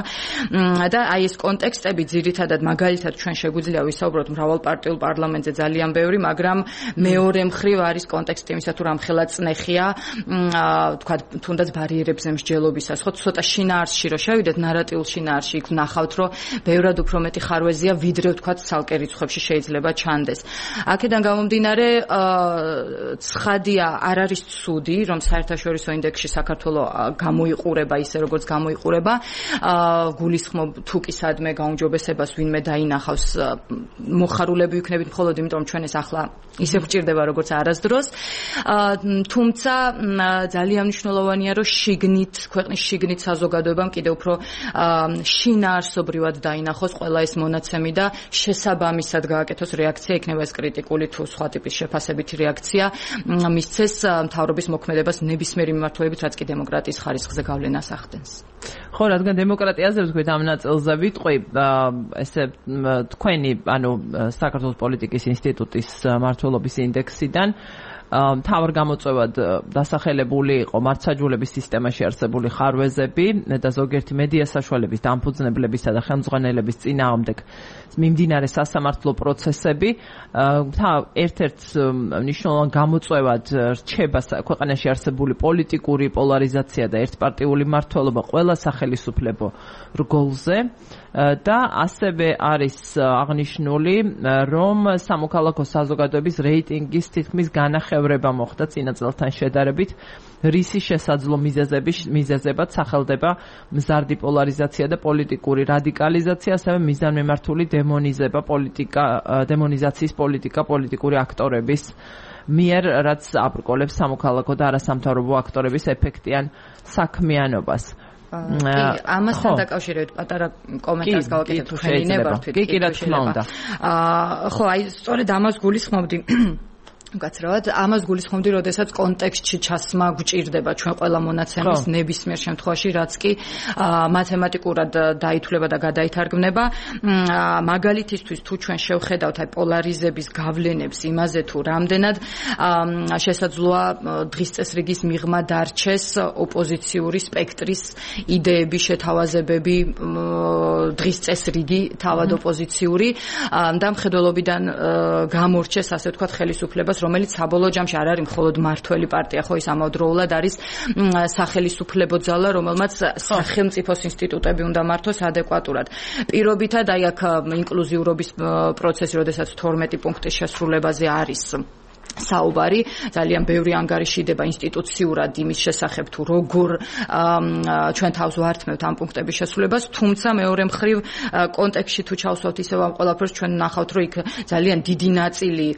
და აი ეს კონტექსტები ძირითადად მაგალითად ჩვენ შეგვიძლია ვისაუბროთ მრავალპარტიულ პარლამენტზე ძალიან ბევრი, მაგრამ მეორე მხრივ არის კონტექსტი იმისა, თუ რამხელა წნეხია, ვთქვათ, თუნდაც ბარიერებზე მსჯელობისას, ხო, ცოტა შინაარსში რო შევიდეთ, ნარატიულ შინაარსში იქ ვნახავთ, რომ ბევრად უფრო მეტი ხარვეზია, ვიდრე ვთქვათ ცალკე რიცხვებში შეიძლება ჩანდეს. აქედან გამომდინარე, ცხადია, არ არის ცუდი, რომ საერთაშორისო ინდექსში საქართველოს გამოიყურება ისე, როგორც გამოიყურება. გულისხმობ თუ კი სადმე გაუმჯობესებას ვინმე დაინახავს, მოხარულები ვიქნებით მხოლოდ იმიტომ, რომ ჩვენ ეს ახლა ისე გვჭირდება, როგორც არასდროს. თუმცა ძალიან მნიშვნელოვანია, რომ ქვეყნის შიგნით საზოგადოებამ კიდევ უფრო შინაარსობრივად დაინახოს ყველა ეს მონაცემი და შესაბამისად გააკეთოს რეაქცია, იქნება ეს კრიტიკული თუ სხვა ტიპის შეფასებითი რეაქცია, მისცეს მთავრობის მოქმედებას ნებისმიერი მიმართულებით, რაც კი დემოკრატიის ხარისხზე გავლენას ახდენს. ხო, რადგან დემოკრატიაზე ვთქვით ამ ნაწილზე ვიტყვი, ესე თქვენი, ანუ საქართველოს პოლიტიკის ინსტიტუტის მმართველობის ინდექსიდან მთავარ გამოწვევად დასახელებული იყო მართლმსაჯულების სისტემაში არსებული ხარვეზები და ზოგიერთი მედია საშუალების დამფუძნებლებისა და ხელმძღვანელების წინააღმდეგ მიმდინარე სასამართლო პროცესები. ერთ-ერთ მნიშვნელოვან გამოწვევად რჩება ქვეყანაში არსებული პოლიტიკური პოლარიზაცია და ერთპარტიული მმართველობა ყველა სახელისუფლებო რგოლზე და ასევე არის აღნიშნული, რომ სამოქალაქო საზოგადოების რეიტინგის თითქმის განახევრება მოხდა წინა წელთან შედარებით, რისი შესაძლო მიზეზებად სახელდება მზარდი პოლარიზაცია და პოლიტიკური რადიკალიზაცია, ასევე მიზანმიმართული დემონიზაციის პოლიტიკა პოლიტიკური აქტორების მიერ, რაც აბრკოლებს სამოქალაქო და არასამთავრობო აქტორების ეფექტიან საქმიანობას. ამასთან დაკავშირებით პატარა კომენტარს გავაკეთებ თქვენი ნებართვით. კი, რა თქმა უნდა. ხო, აი სწორედ ამას გულისხმობდი. გაცრავად, ამას გულისხმობდი, როდესაც კონტექსტში ჩასმა გვჭირდება ჩვენ ყველა მონაცემის ნებისმიერ შემთხვევაში, რაც კი მათემატიკურად დაითვლება და გადაითარგმნება. მაგალითისთვის, თუ ჩვენ შევხედავთ აი პოლარიზების გავლენებს იმაზე, თუ რამდენად შესაძლოა დღის წესრიგის მიღმა დარჩეს ოპოზიციური სპექტრის იდეების შეთავაზებები, დღის წესრიგი თავად ოპოზიციური და მხედველობიდან გამორჩეს, ასე ვთქვათ, ხელისუფლებას, რომელიც საბოლოო ჯამში არ არის მხოლოდ მმართველი პარტია, ხო, ის ამავდროულად არის სახელისუფლებო ძალა, რომელმაც სახელმწიფოს ინსტიტუტები უნდა მართოს ადეკვატურად. პირობითად აი აქ ინკლუზიურობის პროცესი, როდესაც 12 პუნქტის შესრულებაზე არის საუბარი, ძალიან ბევრი ანგარიშიდება ინსტიტუციურად იმის შესახებ, თუ როგორ ჩვენ თავს ვართმევთ ამ პუნქტების შესრულებას, თუმცა მეორე მხრივ კონტექსტში თუ ჩავსვათ ისევ ამ ყველაფერს, ჩვენ ვნახავთ, რომ იქ ძალიან დიდი ნაწილი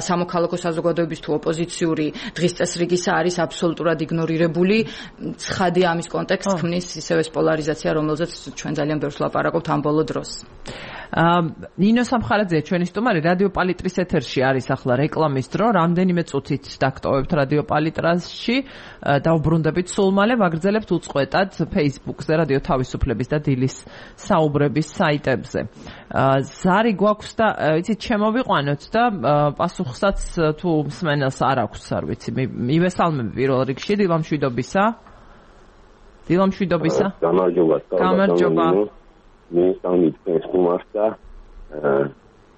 სამოქალაქო საზოგადოების თუ ოპოზიციური დღის წესრიგისა არის აბსოლუტურად იგნორირებული. ცხადია ამის კონტექსტს ქმნის ისევ ეს პოლარიზაცია, რომელზეც ჩვენ ძალიან ბევრს ვლაპარაკობთ ამ ბოლო დროს. ნინო სამხარაძე ჩვენი სტუმარი, რადიო პალიტრის ეთერში არის ახლა რეკლამის რომ რამდენიმე წუთით დაგტოვებთ რადიო პალიტრასში, დავბრუნდებით სულ მალე, ვაგრძელებთ უწყვეტად Facebook-ზე, რადიო თავისუფლების და დილის საუბრების საიტებზე. ზარი გვაქვს და იცით შემოვიყვანოთ და პასუხსაც თუ მსმენელს არ აქვს, არ ვიცი, მივესალმები პირველ რიგში დილამშვიდობისა. გამარჯობა. მისამით ეს და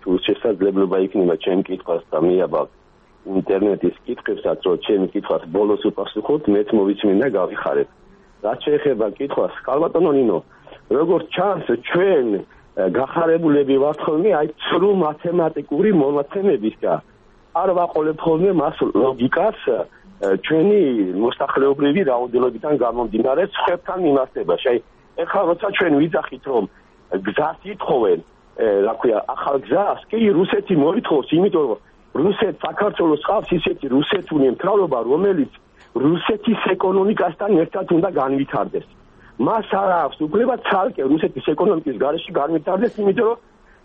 თუ შესაძლებლობა იქნება ჩემ კითხვას და მიაბავ ინტერნეტის კითხვებსაც, რომ ჩემი კითხვას ბოლოს უპასუხოთ, მეც მოვიწმინდა გავიხარეთ. რაც შეეხება კითხვას, ხალბატონო ნინო, როგორც ჩანს, ჩვენ გახარებულები ვართ ხოლმე აი ცრუ მათემატიკური მონაცემების და არ ვაყოლებ ხოლმე მას ლოგიკას ჩვენი მოსახლეობრივი რაოდენობიდან გამომდინარე ხებთან მიმართებაში. აი ეხლა როცა ჩვენ ვიძახით რომ გზას ითხოვენ, რა ქვია, ახალ გზას, კი რუსეთი მოითხოვს, იმიტომ რომ რუსეთს საქართველოს ყავს ისეთი რუსეთული მთავრობა, რომელიც რუსეთის ეკონომიკასთან ერთად უნდა განვითარდეს. მას არ აქვს უფლება ცალკე რუსეთის ეკონომიკის გარეშე განვითარდეს, იმიტომ რომ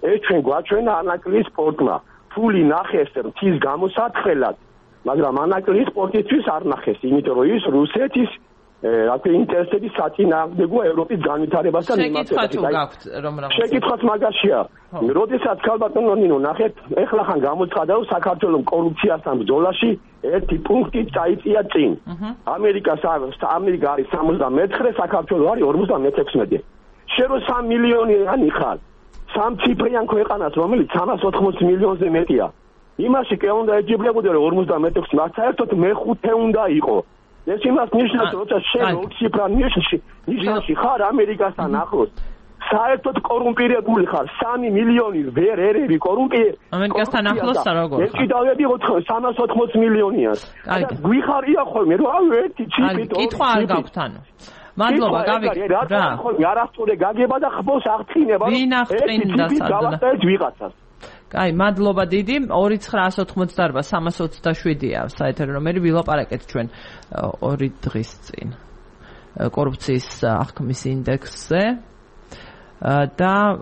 ეს ჩვენ გვაჩვენა ანაკლის სპორტმა. ფული ნახეს მთის გამოსათხელად, მაგრამ ანაკლის სპორტისთვის არ ნახეს, იმიტომ რომ ის რუსეთის რა ქვია ინტერესების საწინააღმდეგოა ევროპის განვითარებასთან მიმართებაში. შეკითხვაც მაგაშია. როდესაც ხალბატონო ნინო ნახეთ, ეხლა ხან გამოცხადა რომ საქართველოს კორუფციასთან ბრძოლაში ერთი პუნქტი წაიწია წინ. ამერიკა არის 74, საქართველოს არის 56. შენ რომ 3 მილიონიანი ხარ, სამციფრიან ქვეყანას, რომელიც 380 მილიონზე მეტია. იმაში კი უნდა ეჯიბრებოდე რომ 56, მათ საერთოდ მეხუთე უნდა იყო. ეს იმას ნიშნავს, როცა შენ ოქციფრა ნიშნავში ხარ ამერიკასთან ახლოს. საერთოდ კორუმპირებული ხარ, 3 მილიონი ვერ ერევი კორუმპირებული. ამერიკასთან ახლოს როგორ ხარ? ეს კიდევ 380 მილიონია. გვიხარია ხოლმე, რომ ერთი ჩიპით კითხვა არ გაქვთ ანუ. მადლობა, გავიქცეთ რა. არასწორი გაგება და ხბოს აღწინება. ვინ აღწინდა სადღაც ვიღაცას. აი, მადლობა დიდი. 2988-327-ია საერთოდ ნომერი, ვილაპარაკეთ ჩვენ 2 დღის წინ კორუფციის აღქმის ინდექსზე და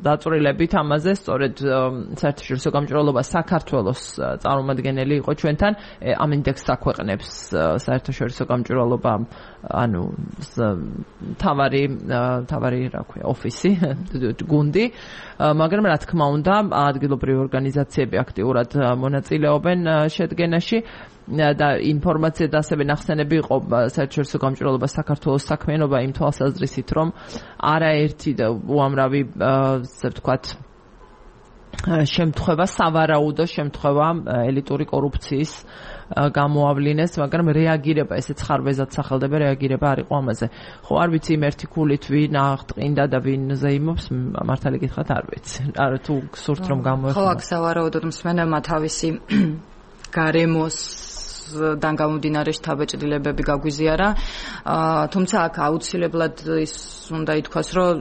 დაწვრილებით ამაზე სწორედ საერთაშორისო გამჭვირვალობა საქართველოს წარმომადგენელი იყო ჩვენთან. ამ ინდექსს აქვეყნებს საერთაშორისო გამჭვირვალობა, ანუ თავარი რა ქვია, ოფისი, გუნდი, მაგრამ რა თქმა უნდა, ადგილობრივი ორგანიზაციები აქტიურად მონაწილეობენ შედგენაში და ინფორმაცია და ასევე ნახსენები იყო საერთაშორისო გამჭვირვალობას საქართველოს საქმიანობა იმ თვალსაზრისით, რომ არაერთი და უამრავი ასე ვთქვათ შემთხვევა, სავარაუდო შემთხვევა ელიტური კორუფციის გამოავლინეს, მაგრამ რეაგირება, ესეც ხარვეზად სახელდება, რეაგირება არ იყო ამაზე. ხო, არ ვიცი იმ ერთი ქულით ვინ აღტყინდა და ვინ ზეიმობს, მართალი გითხრათ არ ვიცი. არა თუ გსურთ რომ გამოეხმო. ხო, აქ სავარაუდოდ მსმენელმა თავისი გარემოს დან გამომდინარე შთაბეჭდილებები გაგვიზიარა. თუმცა აქ აუცილებლად ის უნდა ითქვას, რომ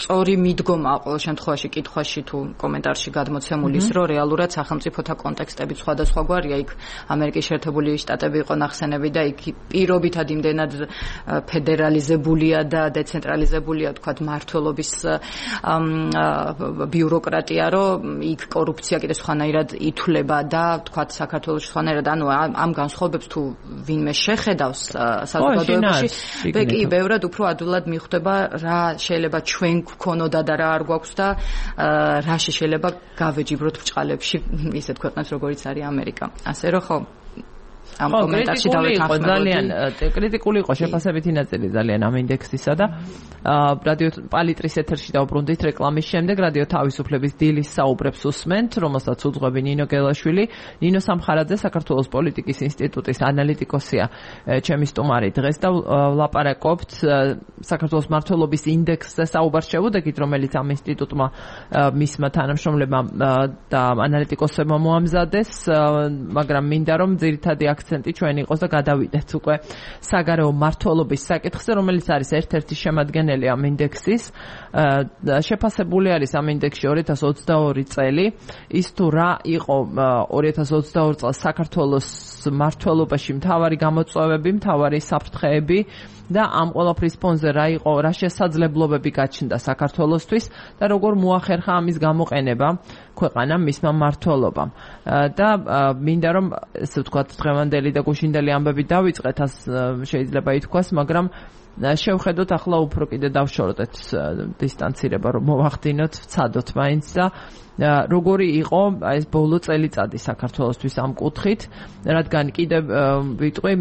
სწორი მიდგომა ყოველ შემთხვევაში კითხვაში თუ კომენტარში გადმოცემული ის, რომ რეალურად სახელმწიფოთა კონტექსტები სხვადასხვაგვარია. იქ ამერიკის შეერთებული შტატები იყო ნახსენები და იქ პირობითად იმდენად ფედერალიზებულია და დეცენტრალიზებულია, თქვათ, მმართველობის ბიუროკრატია, რომ იქ კორუფცია კიდე სხვანაირად ითვლება და თქვათ საქართველოს სხვანაირად, ანუ ამ განსხვავებებს თუ ვინმე შეხედავს საზოგადოებაში, კი ბევრად უფრო ადვილად მიხვდება რა შეიძლება ჩვენ გქონოდა და რა არ გვაქვს და რაში შეიძლება გავეჯიბროთ ბრჭყალებში ისეთ ქვეყნებს როგორიც არის ამერიკა. ასე რომ ხო ამ კომენტარში დავეთანხმებოდი. ძალიან კრიტიკული იყო შეფასებითი ნაწილი ძალიან ამ ინდექსისა და რადიო პალიტრის ეთერში დავბრუნდით რეკლამის შემდეგ რადიო თავისუფლების დილის საუბრებს უსმენთ, რომელსაც უძღვები ნინო გელაშვილი. ნინო სამხარაძე საქართველოს პოლიტიკის ინსტიტუტის ანალიტიკოსია ჩემი სტუმარი დღეს და ვლაპარაკობთ საქართველოს მმართველობის ინდექსზე საუბარს შევუდექით, რომელიც ამ ინსტიტუტმა მისმა თანამშრომლებმა და ანალიტიკოსებმა მოამზადეს, მაგრამ მინდა რომ ძირითადი აქცენტი ჩვენ იყოს და გადავიდეთ უკვე საგარეო მმართველობის საკითხზე, რომელიც არის ერთ-ერთი შემადგენელი ამ ინდექსის. შეფასებული არის ამ ინდექსში 2022 წელი. ის თუ რა იყო 2022 წელს საქართველოს მმართველობაში მთავარი გამოწვევები, მთავარი საფრთხეები და ამ ყველაფრის ფონზე რა იყო, რა შესაძლებლობები გაჩნდა საქართველოსთვის და როგორ მოახერხა ამის გამოყენება ქვეყანამ მისმა მმართველობამ. და მინდა რომ ესე ვთქვათ დღევანდელი და გუშინდელი ამბები დავიწყეთ, ას შეიძლება ითქვას, მაგრამ შევხედოთ ახლა უფრო კიდე დავშორდეთ დისტანცირება რომ მოვახდინოთ, ვცადოთ მაინც და როგორი იყო ეს ბოლო წელიწადი საქართველოსთვის ამ კუთხით, რადგან კიდე ვიტყვი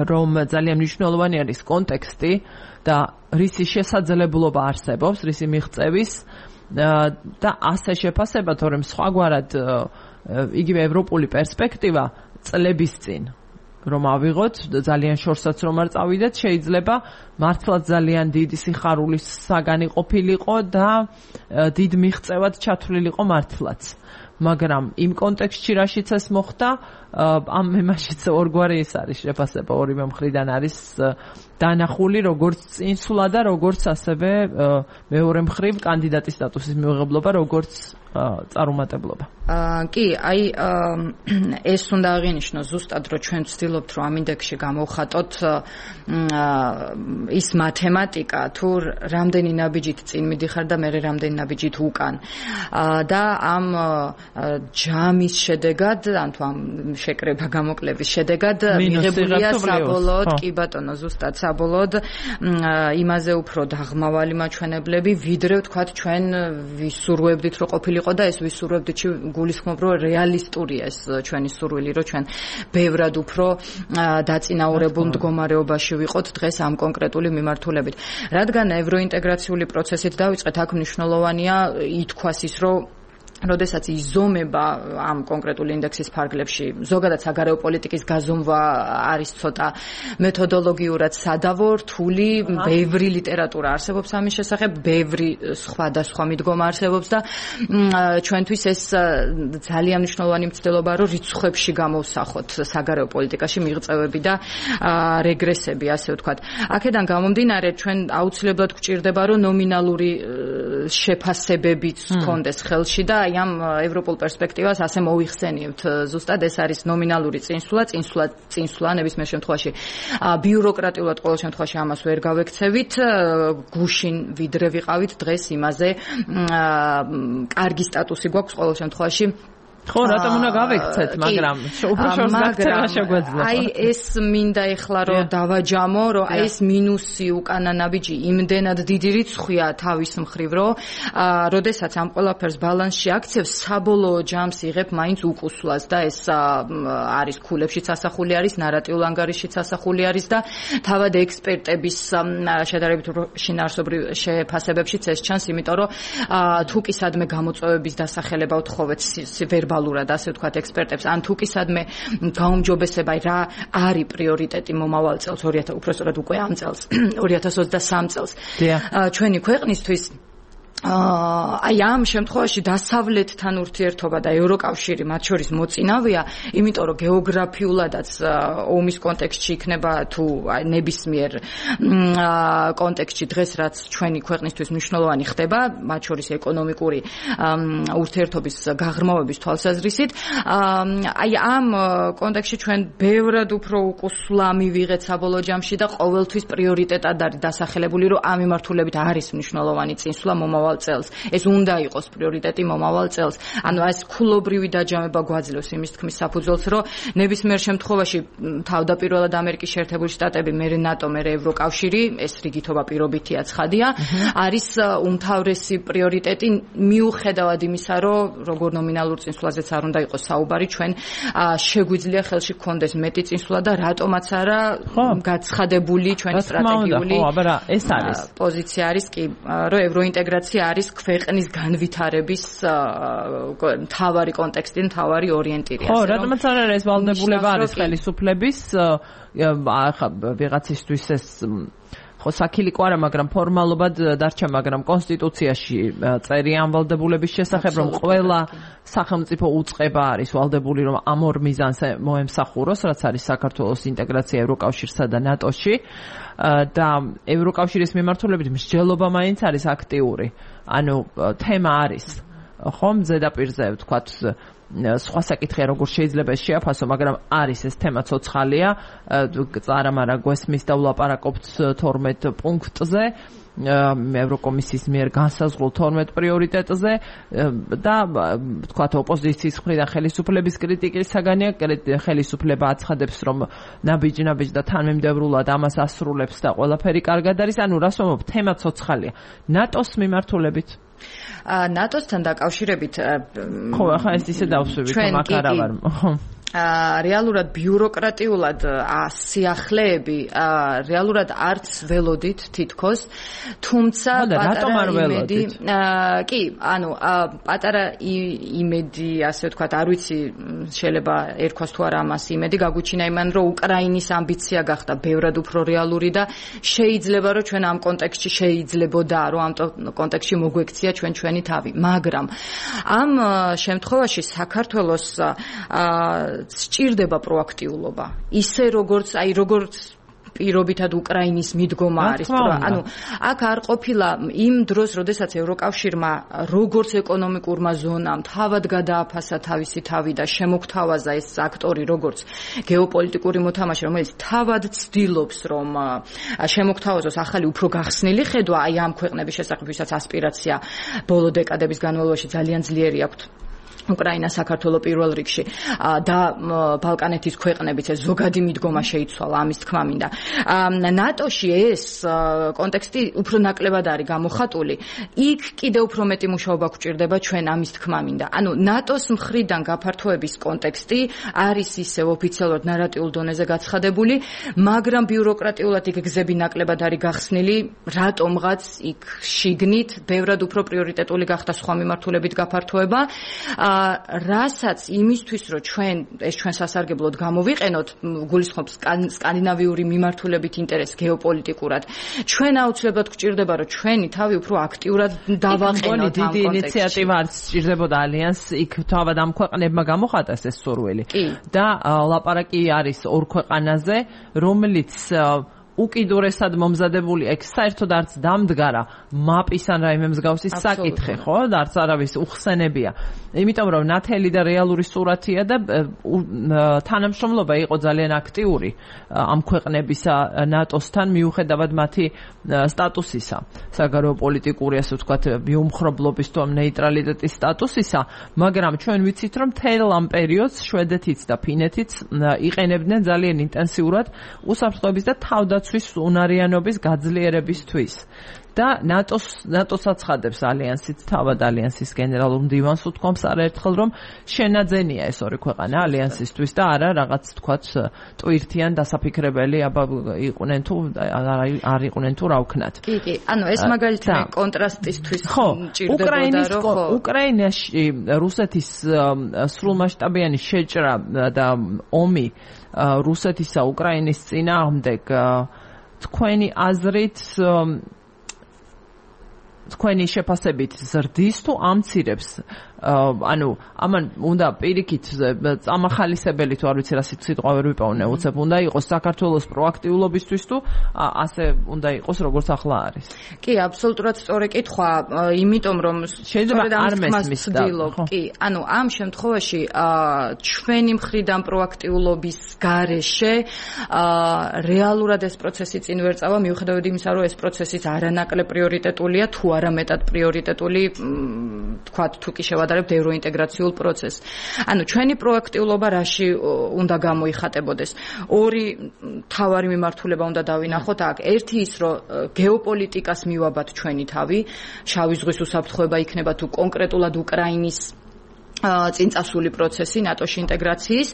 რომ ძალიან მნიშვნელოვანი არის კონტექსტი და რისი შესაძლებლობა არსებობს, რისი მიღწევის და ასე შეფასება, თორემ სხვაგვარად იგივე ევროპული პერსპექტივა წლების წინ რომ ავიღოთ, ძალიან შორსაც რომ არ წავიდეთ, შეიძლება მართლაც ძალიან დიდი სიხარულის საგანი ყოფილიყო და დიდ მიღწევად ჩათვლილიყო მართლაც. მაგრამ იმ კონტექსტში რაშიც ეს მოხდა, ამ მემაშიც ორგვარი ის არის შეფასება, ორივე მხრიდან არის დანახული როგორც წინსვლა და როგორც ასევე მეორე მხრივ კანდიდატის სტატუსის მიღებლობა, როგორც წარუმატებლობა. კი, აი ეს უნდა აღინიშნო ზუსტად, რომ ჩვენ ვცდილობთ, რომ ამ ინდექსში გამოვხატოთ ის მათემატიკა, თუ რამდენი ნაბიჯით წინ მიდიხარ და მერე რამდენი ნაბიჯით უკან. და ამ ჯამის შედეგად, ან თუ ამ შეკრება გამოკლების შედეგად მიღებულია საბოლოოდ, კი ბატონო, ზუსტად საბოლოოდ იმაზე უფრო დაღმავალი მაჩვენებლები, ვიდრე ვთქვათ ჩვენ ვისურვებდით, რომ ყოფილიყო და ეს ვისურვებდით გულისხმობ, რომ რეალისტურია ეს ჩვენი სურვილი, რომ ჩვენ ბევრად უფრო დაწინაურებულ მდგომარეობაში ვიყოთ დღეს ამ კონკრეტული მიმართულებით. რადგან ევროინტეგრაციული პროცესით დავიწყეთ, აქ მნიშვნელოვანია ითქვას ის, რომ როდესაც იზომება ამ კონკრეტული ინდექსის ფარგლებში, ზოგადად საგარეო პოლიტიკის გაზომვა არის ცოტა მეთოდოლოგიურად სადავო, რთული, ბევრი ლიტერატურა არსებობს ამის შესახებ, ბევრი სხვადასხვა მიდგომა არსებობს და ჩვენთვის ეს ძალიან მნიშვნელოვანი მცდელობა, რომ რიცხვებში გამოვსახოთ საგარეო პოლიტიკაში მიღწევები და რეგრესები, ასე ვთქვათ. აქედან გამომდინარე, ჩვენ აუცილებლად გვჭირდება, რომ ნომინალური შეფასებებიც ჰქონდეს ხელში და აი ამ ევროპულ პერსპექტივას ასე მოიხსენიებთ. ზუსტად ეს არის ნომინალური წინსვლა ნებისმიერ შემთხვევაში. ბიუროკრატიულად ყოველ შემთხვევაში ამას ვერ გავექცევით, გუშინ ვიდრე ვიყავით დღეს იმაზე კარგი სტატუსი გვაქვს ყოველ შემთხვევაში. ხო, რატომ უნდა გავექცეთ, მაგრამ უფრო შორს გაქცევა შეგვეძლება. აი ეს მინდა ეხლა რომ დავაჯამო, რომ აი ეს მინუსი უკანა ნაბიჯი იმდენად დიდი რიცხვია თავის მხრივ, რომ როდესაც ამ ყველაფერს ბალანსში აქცევს, საბოლოო ჯამს იღებ მაინც უკუსვლას და ეს არის ქულებშიც ასახული არის, ნარატიულ ანგარიშშიც ასახული არის და თავად ექსპერტების შედარებით შინაარსობრივ შეფასებებშიც ეს ჩანს, იმიტომ რომ თუკისადმე გამოწვევების დასახელება უთხოვეთ ვერბალურად, ასე ვთქვათ, ექსპერტებს, ან თუკისადმე გაუმჯობესება რა არის პრიორიტეტი მომავალ წელს, უпростоრად უკვე ამ წელს, 2023 წელს. ჩვენი ქვეყნისთვის აი ამ შემთხვევაში დასავლეთთან ურთიერთობა და ევროკავშირი მათ შორის მოწინავეა, იმიტომ რომ გეოგრაფიულადაც ომის კონტექსტში იქნება თუ ნებისმიერ კონტექსტში დღეს რაც ჩვენი ქვეყნისთვის მნიშვნელოვანი ხდება, მათ შორის ეკონომიკური ურთიერთობის გაღრმავების თვალსაზრისით, აი ამ კონტექსტში ჩვენ ბევრად უფრო უკუსვლა მივიღეთ საბოლოო ჯამში და ყოველთვის პრიორიტეტად არის დასახელებული, რომ ამ მიმართულებით არის მნიშვნელოვანი წინსვლა მომავალ წელს. ეს უნდა იყოს პრიორიტეტი მომავალ წელს. ანუ ეს ქულობრივი დაჯამება გვაძლევს იმის თქმის საფუძველს, რომ ნებისმიერ შემთხვევაში თავდაპირველად ამერიკის შეერთებული შტატები, მერე ნატო, მერე ევროკავშირი, ეს რიგითობა პირობითია, ცხადია, არის უმთავრესი პრიორიტეტი მიუხედავად იმისა, რომ როგორ ნომინალურ წინსვლაზეც არ უნდა იყოს საუბარი, ჩვენ შეგვიძლია ხელში გქონდეს მეტი წინსვლა და რატომაც არა გაცხადებული ჩვენი სტრატეგიული პოზიცია არის კი, რომ ევროინტეგრაცია არის ქვეყნის განვითარების მთავარი კონტექსტი, მთავარი ორიენტირი. ხო, რატომაც არ არის ეს ვალდებულება არის ხელისუფლების ახლა ვიღაცისთვის ეს ხო საქილიკო არა, მაგრამ ფორმალობად დარჩა, მაგრამ კონსტიტუციაში წერია ამ ვალდებულების შესახებ, რომ ყველა სახელმწიფო უწყება არის ვალდებული, რომ ამ ორ მიზანს მოემსახუროს, რაც არის საქართველოს ინტეგრაცია ევროკავშირსა და ნატოში და ევროკავშირის მიმართულებით მსჯელობა მაინც არის აქტიური. ანუ თემა არის ხომ ზედაპირზე ვთქვათ სხვა საკითხია როგორ შეიძლება შეაფასო, მაგრამ არის ეს თემა ცოცხალია, წარამარა გვესმის და ვლაპარაკობთ 12 პუნქტზე. ევროკომისიის მიერ განსაზღვრულ 12 პრიორიტეტზე და თქვათ ოპოზიციის მხრიდან ხელისუფლების კრიტიკის საგანია, ხელისუფლება აცხადებს, რომ ნაბიჯ და თანმიმდევრულად ამას ასრულებს და ყველაფერი კარგად არის. ანუ რას ვამბობ, თემა ცოცხალია. ნატოს მიმართულებით ნატოსთან დაკავშირებით ხო, ახლა ეს ისე დავსვევით, რომ აქ არა ვარ. რეალურად ბიუროკრატიულად სიახლეები რეალურად არც ველოდით თითქოს, თუმცა პატარა იმედი კი, ანუ პატარა იმედი, ასე ვთქვათ, არ ვიცი შეიძლება ერქვას თუ არა ამას იმედი გაგუჩინა იმან, რომ უკრაინის ამბიცია გახდა ბევრად უფრო რეალური და შეიძლება რომ ჩვენ ამ კონტექსტში შეიძლებოდა რომ ამ კონტექსტში მოგვექცია ჩვენი თავი, მაგრამ ამ შემთხვევაში საქართველოს სჭირდება პროაქტიულობა. ისე როგორც პირობითად უკრაინის მიდგომა არის, ანუ აქ არ ყოფილა იმ დროს, როდესაც ევროკავშირმა როგორც ეკონომიკურმა ზონამ თავად გადააფასა თავისი თავი და შემოგთავაზა ეს აქტორი როგორც გეოპოლიტიკური მოთამაშე, რომელიც თავად ცდილობს, რომ შემოგთავაზოს ახალი უფრო გახსნილი ხედვა აი ამ ქვეყნების შესახებ, ვისაც ასპირაცია ბოლო დეკადების განმავლობაში ძალიან ძლიერი აქვთ. უკრაინა, საქართველო პირველ რიგში და ბალკანეთის ქვეყნებიც ეს ზოგადი მიდგომა შეიცვალა, ამის თქმა მინდა. ნატოში ეს კონტექსტი უფრო ნაკლებად არის გამოხატული. იქ კიდევ უფრო მეტი მუშაობა გვჭირდება ჩვენ, ამის თქმა მინდა. ანუ ნატოს მხრიდან გაფართოების კონტექსტი არის ისევ ოფიციალურად ნარატიულ დონეზე გაცხადებული, მაგრამ ბიუროკრატიულად იქ გზები ნაკლებად არის გახსნილი, რატომღაც იქ შიგნით ბევრად უფრო პრიორიტეტული გახდა სხვა მიმართულებით გაფართოება. რასაც იმისთვის, რომ ჩვენ სასარგებლოდ გამოვიყენოთ, გულისხმობს სკანდინავიური მიმართულებით ინტერესს გეოპოლიტიკურად, ჩვენ აუცილებლად გვჭირდება, რომ ჩვენი თავი უფრო აქტიურად დავაყენოთ ამ დიდი ინიციატივა არც სჭირდებოდა ალიანსს, იქ თავად ამ ქვეყნებმა გამოხატეს ეს სურვილი. და ლაპარაკი არის ორ ქვეყანაზე, რომელიც უკიდურესად მომზადებული ეგ საერთოდ არც დამდგარა მაპის ან რაიმე მსგავსი საკითხი, ხო? და არც არავის უხსენებია. იმიტომ რომ ნათელი და რეალური სურათია და თანამშრომლობა იყო ძალიან აქტიური ამ ქვეყნებისა ნატოსთან მიუხედავად მათი სტატუსისა, საგარეო პოლიტიკური, ასე ვთქვათ, მიუმხრობლობის თუ ამ ნეიტრალიტეტის სტატუსისა, მაგრამ ჩვენ ვიცით, რომ მთელ ამ პერიოდს შვედეთიც და ფინეთიც იყენებდნენ ძალიან ინტენსიურად უსაფრთხოების და თავდაცვის უნარიანობის გაძლიერებისთვის. და ნატოს აცხადებს ალიანსიც, თავად ალიანსის გენერალურ მდივანს უთქვამს არაერთხელ, რომ შენაძენია ეს ორი ქვეყანა ალიანსისთვის და არა რაღაც თქვათ ტვირთიან დასაფიქრებელი იყვნენ თუ არ იყვნენ თუ რა ვქნათ. კი, ანუ ეს მაგალითად კონტრასტისთვის ჭირდებოდა, რომ უკრაინაში რუსეთის სრულმასშტაბიანი შეჭრა და ომი რუსეთისა უკრაინის წინააღმდეგ თქვენი აზრით თქვენი შეფასებით ზრდის თუ ამცირებს? ანუ ამან უნდა პირიქით წამახალისებელი თუ არ ვიცი რა სიტყვა ვერ ვიპოვნე, უცებ უნდა იყოს საქართველოს პროაქტიულობისთვის თუ ასე უნდა იყოს როგორც ახლა არის? კი, აბსოლუტურად სწორი კითხვა, იმიტომ რომ შეიძლება არ მესმის და კი, ანუ ამ შემთხვევაში ჩვენი მხრიდან პროაქტიულობის გარეშე რეალურად ეს პროცესი წინ ვერ წავა, მიუხედავად იმისა, რომ ეს პროცესიც არანაკლებ პრიორიტეტულია, თუ არა მეტად პრიორიტეტული, თქვათ, თუ კი შევადარებთ ევროინტეგრაციულ პროცესს. ანუ ჩვენი პროაქტიულობა რაში უნდა გამოიხატებოდეს? ორი მთავარი მიმართულება უნდა დავინახოთ აქ. ერთი ის, რომ გეოპოლიტიკას მივაბათ ჩვენი თავი, შავი ზღვის უსაფრთხოება იქნება თუ კონკრეტულად უკრაინის წინწასული პროცესი ნატოში ინტეგრაციის,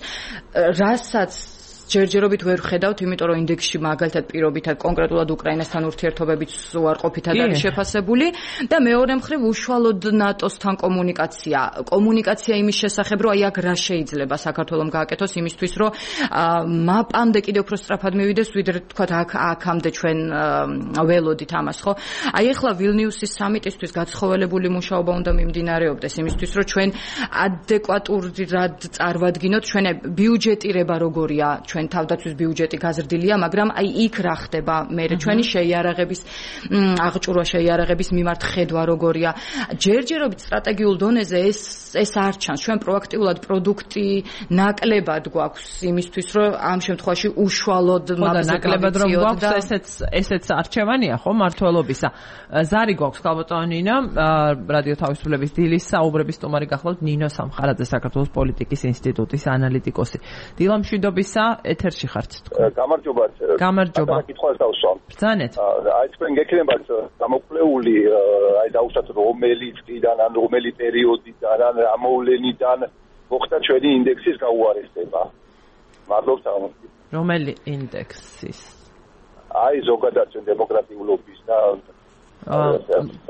რასაც ჯერჯერობით ვერ ხედავთ, იმიტომ რომ ინდექსში მაგალითად პირობითად კონკრეტულად უკრაინასთან ურთიერთობებით უარყოფითად არის შეფასებული და მეორე მხრივ უშუალოდ ნატოსთან კომუნიკაცია იმის შესახებ, რომ აი აქ რა შეიძლება საქართველოს გააკეთოს იმისთვის, რომ მაპამდე კიდევ უფრო სწრაფად მივიდეს, ვიდრე თქვათ აქამდე ჩვენ ველოდით ამას, ხო? აი ახლა ვილნიუსის სამიტისთვის გაცხოველებული მუშაობა უნდა მიმდინარეობდეს იმისთვის, რომ ჩვენ ადეკვატურად წარმოვადგინოთ ჩვენი ბიუჯეტირება როგორია ჩვენ ჩვენ თავდაცვის ბიუჯეტი გაზრდილია, მაგრამ აი იქ რა ხდება მე ჩვენი შეიარაღების აღჭურვა შეიარაღების მიმართ ხედვა როგორია. ჯერჯერობით სტრატეგიულ დონეზე ეს არ ჩანს. ჩვენ პროაქტიულად პროდუქტი ნაკლებად გვაქვს იმისთვის, რომ ამ შემთხვევაში უშუალოდ ნაკლებად რომ გვაქვს ესეც არჩევანია ხო მართლობისა. ზარი გვაქვს ქალბატონინა, რადიო თავისუფლების დილის საუბრების სტუმარი გახლავთ ნინო სამხარაძე, საქართველოს პოლიტიკის ინსტიტუტის ანალიტიკოსი. დილა მშვიდობისა, ეთერში ხართ თქვენ. გამარჯობა. კითხვას დავსვამ. ბრძანეთ. აი თქვენ გექნებათ გამოკვლეული, აი დავუშვათ რომელი წლიდან ან რომელი პერიოდიდან ან ამოვლენიდან მოხდა ჩვენი ინდექსის გაუარესება. მადლობთ ამ. რომელი ინდექსის? აი ზოგადად ჩვენ დემოკრატიულობის და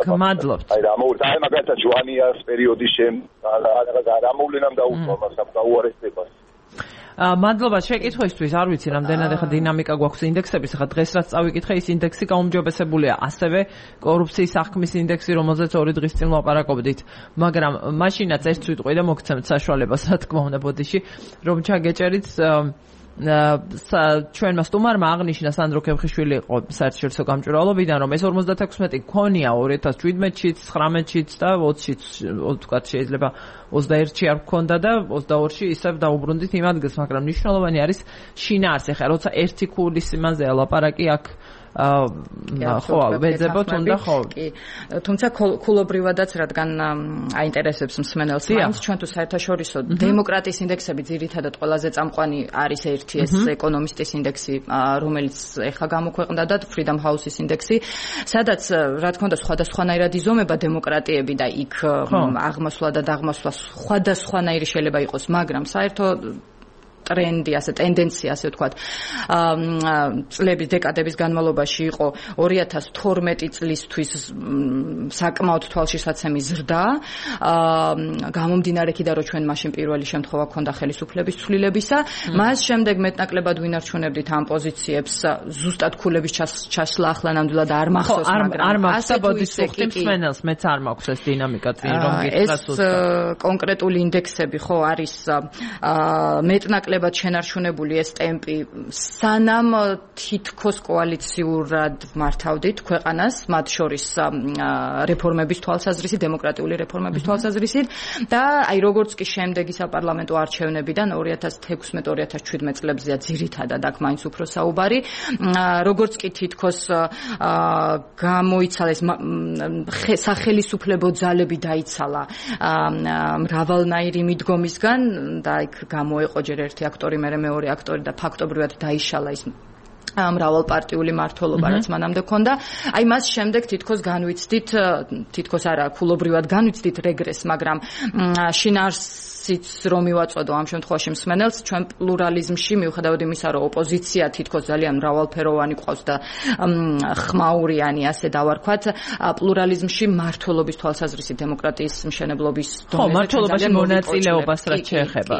მადლობთ. აი მაგალითად ჯვანიას პერიოდის შემდგომ ამოვლენამ დაუშვა მას ამ გაუარესებას. მადლობა შეკითხვისთვის, არ ვიცი რამდენად ახლა დინამიკა გვაქვს ინდექსების, ახლა დღეს რაც წავიკითხე ის ინდექსი გაუმჯობესებულია, ასევე კორუფციის აღქმის ინდექსი, რომელზეც 2 დღის წინ ვაპარაკობდით, მაგრამ მაშინაც ერთ ვიტყვი და მოგცემთ საშუალებას, რა თქმა უნდა, ბოდიში, რომ ჩაგეჭერით ჩვენმა სტუმარმა აღნიშნა სანდრო ქემხიშვილი იყო საერთაშორისო გამჭვირვალობიდან, რომ ეს 56 გქონია 2017-შიც, 19-შიც და 20-შიც, თქვათ შეიძლება 21-ში არ გქონდა და 22-ში ისევ დაუბრუნდით იმ ადგილს, მაგრამ მნიშვნელოვანი არის შინაარსი. ხა როცა ერთი ქულის იმაზეა ლაპარაკი აქ ხო, ვეძებოთ უნდა ხო. თუმცა ქულობრივადაც რადგან აინტერესებს მსმენელს, მაინც ჩვენ თუ საერთაშორისო დემოკრატიის ინდექსები ძირითადად ყველაზე წამყვანი არის ერთი ეს ეკონომისტის ინდექსი, რომელიც ეხლა გამოქვეყნდა და Freedom House-ის ინდექსი, სადაც რა თქმა უნდა სხვადასხვანაირად იზომება დემოკრატიები და იქ აღმასვლა და დაღმასვლა სხვადასხვანაირი შეიძლება იყოს, მაგრამ საერთო ტრენდი, ასე ტენდენცია, ასე ვთქვათ, წლების დეკადების განმავლობაში იყო 2012 წლისთვის საკმაოდ თვალშისაცემი ზრდა, გამომდინარე იქიდან, რომ ჩვენ მაშინ პირველი შემთხვევა ქონდა ხელისუფლების ცვლილებისა, მას შემდეგ მეტნაკლებად ვინარჩუნებდით ამ პოზიციებს, ზუსტად ქულების ჩასვლა ახლა ნამდვილად არ მახსოვს, მაგრამ არ მაქვს, ბოდიშ ვუხდით მსმენელს, მეც არ მაქვს ეს დინამიკა წინ რომ გითხრათ ეს კონკრეტული ინდექსები ხო არის მეტნაკლებად შენარჩუნებული ეს ტემპი, სანამ თითქოს კოალიციურად მართავდით ქვეყანას, მათ შორის რეფორმების თვალსაზრისით, დემოკრატიული რეფორმების თვალსაზრისით და აი როგორც კი შემდეგი საპარლამენტო არჩევნებიდან 2016-2017 წლებზეა ძირითადად აქ მაინც უფრო საუბარი, როგორც კი თითქოს გამოიცალა ეს სახელისუფლებო ძალები დაიცალა მრავალნაირი მიდგომისგან და იქ გამოეყო ჯერ ერთი აქტორი, მერე მეორე აქტორი და ფაქტობრივად დაიშალა ის მრავალპარტიული მმართველობა, რაც მანამდე ქონდა. აი მას შემდეგ თითქოს განვიცდით, თითქოს არა, ქულობრივად განვიცდით რეგრესს, მაგრამ შინაარსიც რომ მივაწოდო ამ შემთხვევაში მსმენელს, ჩვენ პლურალიზმში, მიუხედავად იმისა, რომ ოპოზიცია თითქოს ძალიან მრავალფეროვანი ყავს და ხმაურიანი, ასე დავარქვათ, პლურალიზმში მმართველობის თვალსაზრისით დემოკრატიის მშენებლობის დონეზე მმართველობაში მონაწილეობას რაც შეეხება.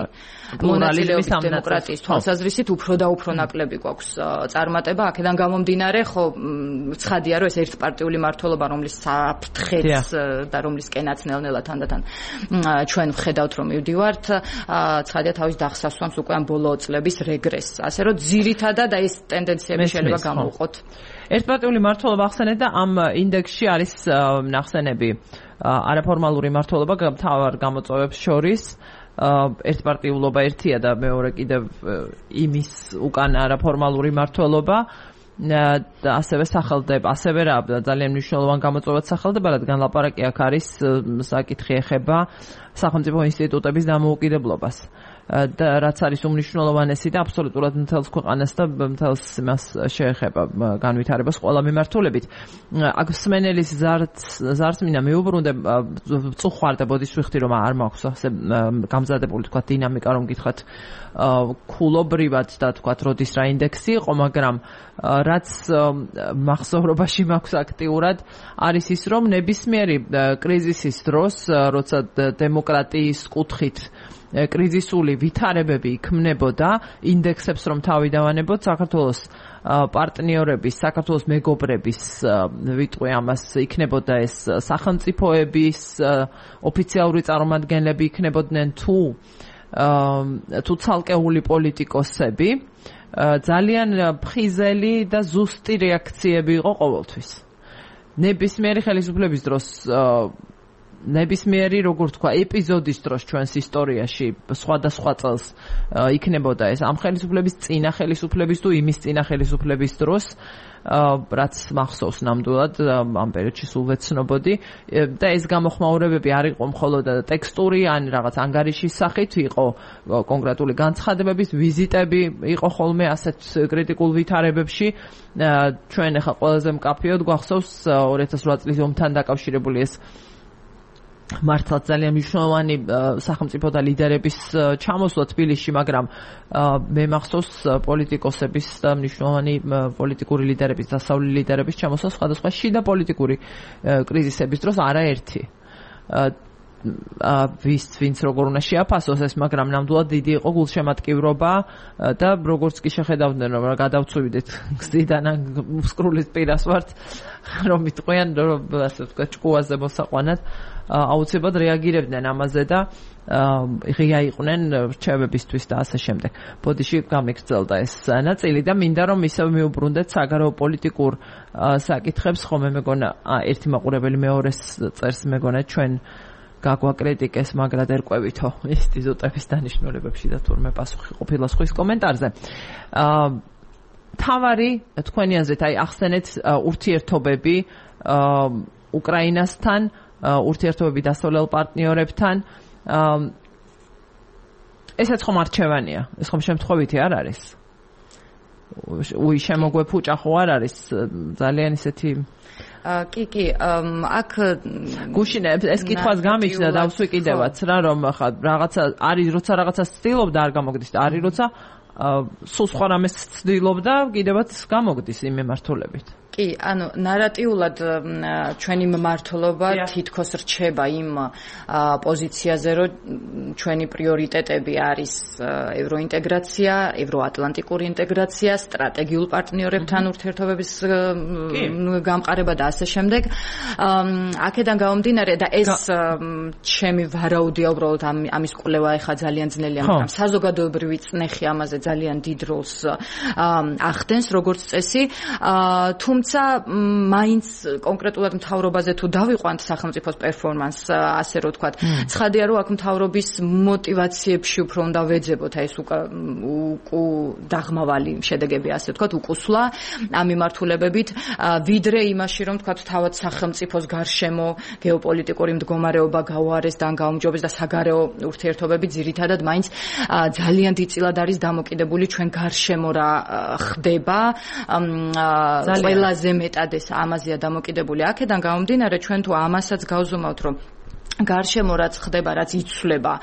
პლურალიზმის დემოკრატიის თვალსაზრისით უფრო და უფრო ნაკლები გვაქვს წარმატება, აქედან გამომდინარე, ხო, ცხადია, რომ ეს ერთპარტიული მმართველობა, რომლის საფრთხეც და რომლისკენაც ნელ-ნელა თანდათან ჩვენ ვხედავთ, რომ მივდივართ, ცხადია თავის დახსასვამს უკვე ამ ბოლო წლების რეგრესს. ასე რომ ძირითადად ეს ტენდენციები შეიძლება გამოვყოთ. ერთპარტიული მმართველობა ახსენეთ და ამ ინდექსში არის ნახსენები არაფორმალური მმართველობა მთავარ გამოწვევებს შორის. ერთპარტიულობა ერთია და მეორე კიდევ იმის უკან არაფორმალური მმართველობა და ასევე სახელდება, ასევე რა ძალიან მნიშვნელოვანი გამოწვევაც სახელდება, რადგან ლაპარაკი აქ არის საკითხი ეხება სახელმწიფო ინსტიტუტების დამოუკიდებლობას. და რაც არის უმნიშვნელოვანესი და აბსოლუტურად მთელს ქვეყანას და მთელს იმას შეეხება განვითარებას ყველა მიმართულებით. აქ მსმენელის ზარც მინდა მიუბრუნდე, წუხარდა ბოდიშ ვიხდი, რომ არ მაქვს ასე გამზადებული თქვა დინამიკა, რომ გითხრათ ქულობრივად და თქვა როდის რა ინდექსი იყო, მაგრამ რაც მახსოვრობაში მაქვს აქტიურად არის ის, რომ ნებისმიერი კრიზისის დროს, როცა დემოკრატიის კუთხით კრიზისული ვითარებები იქმნებოდა, ინდექსებს რომ თავი დავანებოთ, საქართველოს პარტნიორების, საქართველოს მეგობრების, ვიტყვი ამას, იქნებოდა ეს სახელმწიფოების ოფიციალური წარმომადგენლები იქნებოდნენ თუ ცალკეული პოლიტიკოსები, ძალიან ფხიზელი და ზუსტი რეაქციები იყო ყოველთვის. ნებისმიერი ხელისუფლების დროს ნებისმიერი როგორ თქვა ეპიზოდის დროს ჩვენს ისტორიაში სხვადასხვა წელს იქნებოდა ეს ამ ხელისუფლების წინა ხელისუფლების თუ იმის წინა ხელისუფლების დროს რაც მახსოვს ნამდვილად ამ პერიოდში სულ ვეცნობოდი და ეს გამოხმაურებები არ იყო მხოლოდ ტექსტური ან რაღაც ანგარიშის სახით იყო კონკრეტული განცხადებების ვიზიტები იყო ხოლმე ასეთ კრიტიკულ ვითარებებში ჩვენ ახლა ყველაზე მკაფიოდ გვახსოვს 2008 წლის ომთან დაკავშირებული ეს მართლაც ძალიან მნიშვნელოვანი სახელმწიფო და ლიდერების ჩამოსვლა თბილისში, მაგრამ მე მახსოვს პოლიტიკოსების და მნიშვნელოვანი პოლიტიკური ლიდერების, დასავლელი ლიდერების ჩამოსვლა სხვადასხვა შიდა პოლიტიკური კრიზისების დროს არაერთი. ვინც როგორ უნდა შეაფასოს ეს, მაგრამ ნამდვილად დიდი იყო გულშემატკივრობა და როგორც კი შეხედავდნენ რომ გადავწვიდეთ გზიდან ან მსკრულის პირას ვართ რომ იტყვიან რომ ასე ვთქვათ ჭკუაზე მოსაყვანად აუცილებლად რეაგირებდნენ ამაზე და ღია იყვნენ რჩევებისთვის და ასე შემდეგ. ბოდიში გამიგრძელდა ეს ნაწილი და მინდა რომ ისევ მიუბრუნდეთ საგარეო პოლიტიკურ საკითხებს, ხომ მე მეგონა ერთი მაყურებელი მეორეს წერს მეგონა ჩვენ გაგვაკრიტიკეს, მაგრამ ერკვევითო ინსტიტუტების დანიშნულებებში და თურმე პასუხი ყოფილა სხვის კომენტარზე. თავარი თქვენი აზრით აი ახსენეთ ურთიერთობები უკრაინასთან, ურთიერთობები დასავლელ პარტნიორებთან. ესეც ხომ არჩევანია, ეს ხომ შემთხვევითი არ არის? შემოგვეფუჭა ხო არ არის ძალიან ისეთი კი, აქ გუშინებს ეს კითხვას გამიჩნდა და დავსვი კიდევაც რა რომ ხა რაღაცა არის როცა რაღაცას ცდილობდა არ გამოგდის და არის როცა სულ სხვა რამეს ცდილობდა კიდევაც გამოგდის იმ მიმართულებით. კი, ანუ ნარატიულად ჩვენი მმართველობა თითქოს რჩება იმ პოზიციაზე, რომ ჩვენი პრიორიტეტები არის ევროინტეგრაცია, ევროატლანტიკური ინტეგრაცია, სტრატეგიულ პარტნიორებთან ურთიერთობების გამყარება და ასე შემდეგ. აქედან გამომდინარე და ეს ჩემი ვარაუდია უბრალოდ ამის კვლევა ეხა ძალიან ძნელია, მაგრამ საზოგადოებრივი წნეხი ამაზე ძალიან დიდ როლს ახდენს როგორც წესი. თუმცა მაინც კონკრეტულად მთავრობაზე თუ დავიყვანთ სახელმწიფოს პერფორმანსს, ასე რომ ვთქვათ, ცხადია რომ აქ მთავრობის მოტივაციებში უფრო უნდა ვეძებოთ ეს დაღმავალი შედეგები, ასე ვთქვათ, უკუსვლა ამ მიმართულებებით, ვიდრე იმაში რომ ვთქვათ თავად სახელმწიფოს გარშემო გეოპოლიტიკური მდგომარეობა გაუარეს და გაუმჯობეს და საგარეო ურთიერთობები ძირითადად მაინც ძალიან დიდწილად არის დამოკიდებული ჩვენ გარშემო რა ხდება. ყველაზე მეტად ეს ამაზეა დამოკიდებული. აქედან გამომდინარე ჩვენ თუ ამასაც გავზომავთ რომ გარშემო რაც ხდება, რაც იცვლება,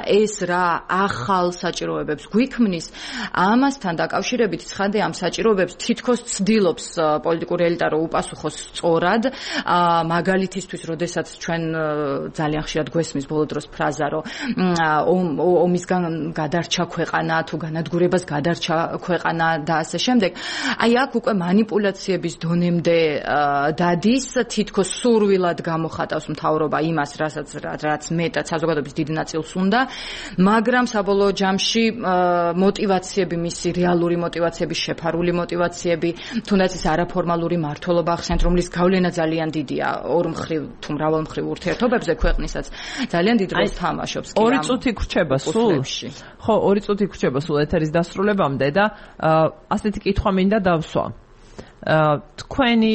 ეს რა ახალ საჭიროებებს გვიქმნის, ამასთან დაკავშირებით ცხადია ამ საჭიროებებს თითქოს ცდილობს პოლიტიკური ელიტა რომ უპასუხოს სწორად, მაგალითისთვის, როდესაც ჩვენ ძალიან ხშირად გვესმის ბოლო დროს ფრაზა, რომ ომისგან გადარჩა ქვეყანა თუ განადგურებას გადარჩა ქვეყანა და ასე შემდეგ. აი აქ უკვე მანიპულაციების დონემდე დადის, თითქოს სურვილად გამოხატავს მთავრობა იმას, რაც მეტად საზოგადოების დიდ ნაწილს უნდა, მაგრამ საბოლოო ჯამში მოტივაციები, მისი რეალური მოტივაციები, შეფარული მოტივაციები, თუნდაც ის არაფორმალური მმართველობა ახსენეთ, რომლის გავლენა ძალიან დიდია ორმხრივ თუ მრავალმხრივ ურთიერთობებზე ქვეყნისაც, ძალიან დიდ როლს თამაშობს. 2 წუთი გრჩება სულ. ხო, 2 წუთი გრჩება სულ ეთერის დასრულებამდე და ასეთი კითხვა მინდა დავსვა. თქვენი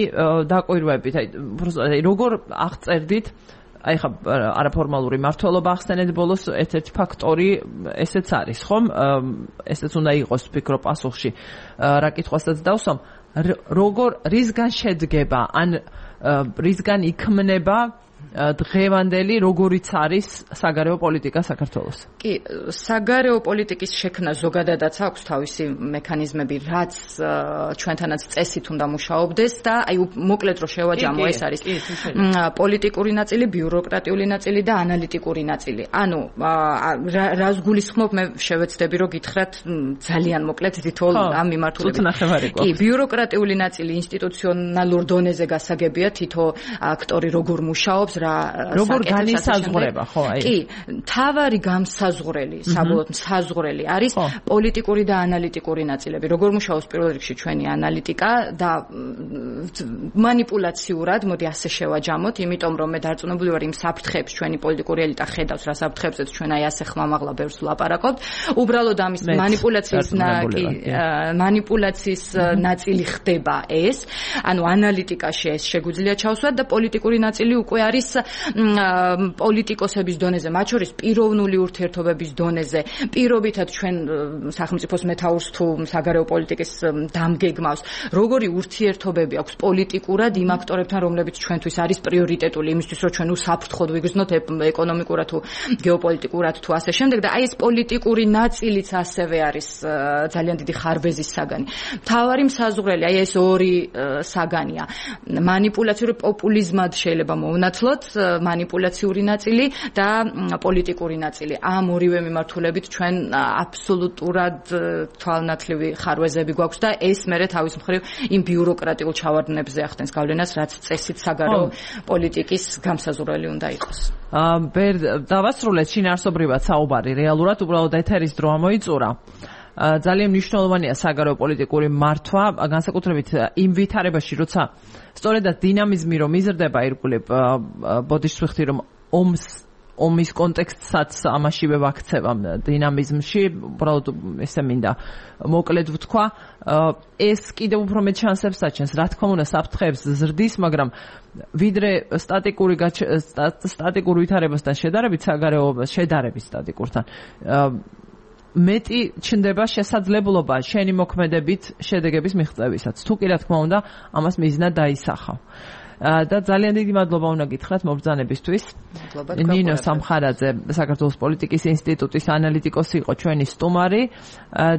დაკვირვებით, აი როგორ აღწერდით აი ხა არაფორმალური მმართველობა ახსენეთ ბოლოს ერთ-ერთი ფაქტორი ესეც არის, ხომ? ესეც უნდა იყოს ვფიქრობ პასუხში. რა კითხვასაც დავსვამ, როგორ რისგან შედგება, ან რისგან იქმნება დღევანდელი როგორიც არის საგარეო პოლიტიკა საქართველოს? კი, საგარეო პოლიტიკის შექმნა ზოგადადაც აქვს თავისი მექანიზმები, რაც ჩვენთანაც წესით უნდა მუშაობდეს და აი მოკლედ რომ შევაჯამო, ეს არის პოლიტიკური ნაწილი, ბიუროკრატიული ნაწილი და ანალიტიკური ნაწილი. ანუ რას გულისხმობ, მე შევეცდები რომ გითხრათ ძალიან მოკლედ თითოეულ ამ მიმართულებით. კი, ბიუროკრატიული ნაწილი ინსტიტუციონალურ დონეზე გასაგებია, თითო აქტორი როგორ მუშაობს, მუშაობს რა როგორ განისაზღვრება ხო აი კი თავარი გამსაზღვრელი საბოლოოდ საზღვრელი არის პოლიტიკური და ანალიტიკური ნაწილები როგორ მუშაობს პირველ რიგში ჩვენი ანალიტიკა და манипуляციურად მოდი ასე შევაჯამოთ იმიტომ რომ მე დარწმუნებული ვარ იმ საფრთხეებს ჩვენი პოლიტიკური ელიტა ხედავს რა საფრთხეებზეც ჩვენ აი ასე ხმამაღლა ბევრს ვლაპარაკობთ უბრალოდ ამის манипуляციის ნაწილი ხდება ეს ანუ ანალიტიკაში ეს შეგვიძლია ჩავსვათ და პოლიტიკური ნაწილი უკვე არის პოლიტიკოსების დონეზე მათ შორის პიროვნული ურთიერთობების დონეზე პირობითად ჩვენ სახელმწიფოს მეთაურს თუ საგარეო პოლიტიკის დამგეგმავს როგორი ურთიერთობები აქვს პოლიტიკურად იმ აქტორებთან რომლებიც ჩვენთვის არის პრიორიტეტული იმისთვის რომ ჩვენ უსაფრთხოდ ვიგრძნოთ ეკონომიკურად თუ გეოპოლიტიკურად თუ ასე შემდეგ და აი ეს პოლიტიკური ნაწილიც ასევე არის ძალიან დიდი ხარბეზის საგანი მთავარი საზღვრელი აი ეს ორი საგანია манипуляციური პოპულიზმად შეიძლება მოვნათლოთ манипуляციური ნაწილი და პოლიტიკური ნაწილი ამ ორივე მიმართულებით ჩვენ აბსოლუტურად თვალნათლივი ხარვეზები გვაქვს და ეს მერე თავის მხრივ იმ ბიუროკრატიულ ჩავარდნებზე ახდენს გავლენას რაც წესით საგარეო პოლიტიკის გამსაზღვრელი უნდა იყოს დავასრულეთ შინაარსობრივად საუბარი რეალურად უბრალოდ ეთერის დრო ამოიწურა ძალიან მნიშვნელოვანია საგარეო პოლიტიკური მართვა განსაკუთრებით იმ ვითარებაში როცა სწორედაც დინამიზმი რომ იზრდება ირგვლივ ბოდიშს ვიხდი რომ ომის კონტექსტსაც ამაშივე ვაქცევ ამ დინამიზმში უბრალოდ ესე მინდა მოკლედ ვთქვა ეს კიდევ უფრო მეტ შანსებს აჩენს რა თქმა უნდა საფრთხეებს ზრდის მაგრამ ვიდრე სტატიკურ ვითარებასთან შედარებით სტატიკურთან მეტი ჩნდება შესაძლებლობა შენი მოქმედებით შედეგების მიღწევისაც თუ კი რა თქმა უნდა ამას მიზნად დაისახავ და ძალიან დიდი მადლობა უნდა გითხრათ მობრძანებისთვის ნინო სამხარაძე საქართველოს პოლიტიკის ინსტიტუტის ანალიტიკოსი იყო ჩვენი სტუმარი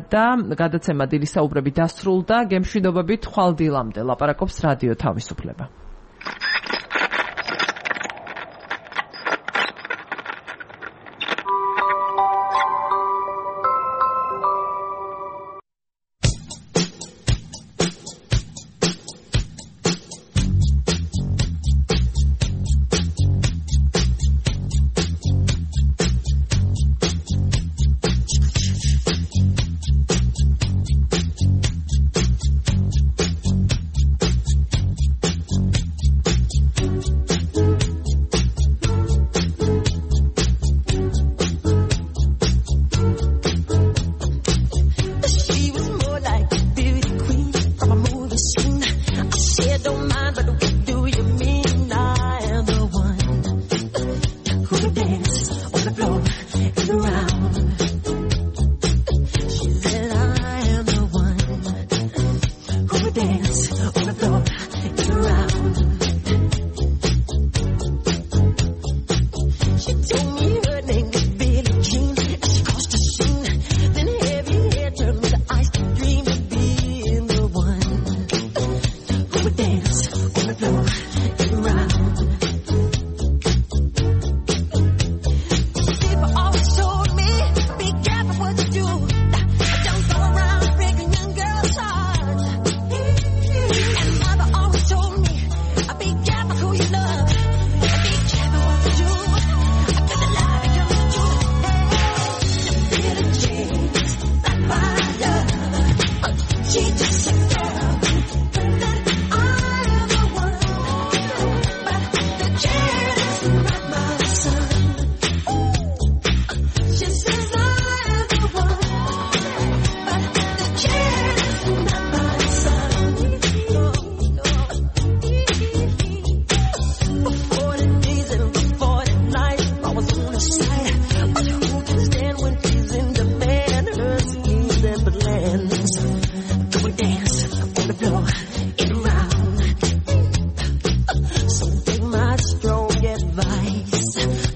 და გადაცემა დილის საუბრები დასრულდა გემშვიდობებით ხვალ დილამდე ლაპარაკობს რადიო თავისუფლება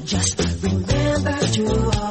Just remember to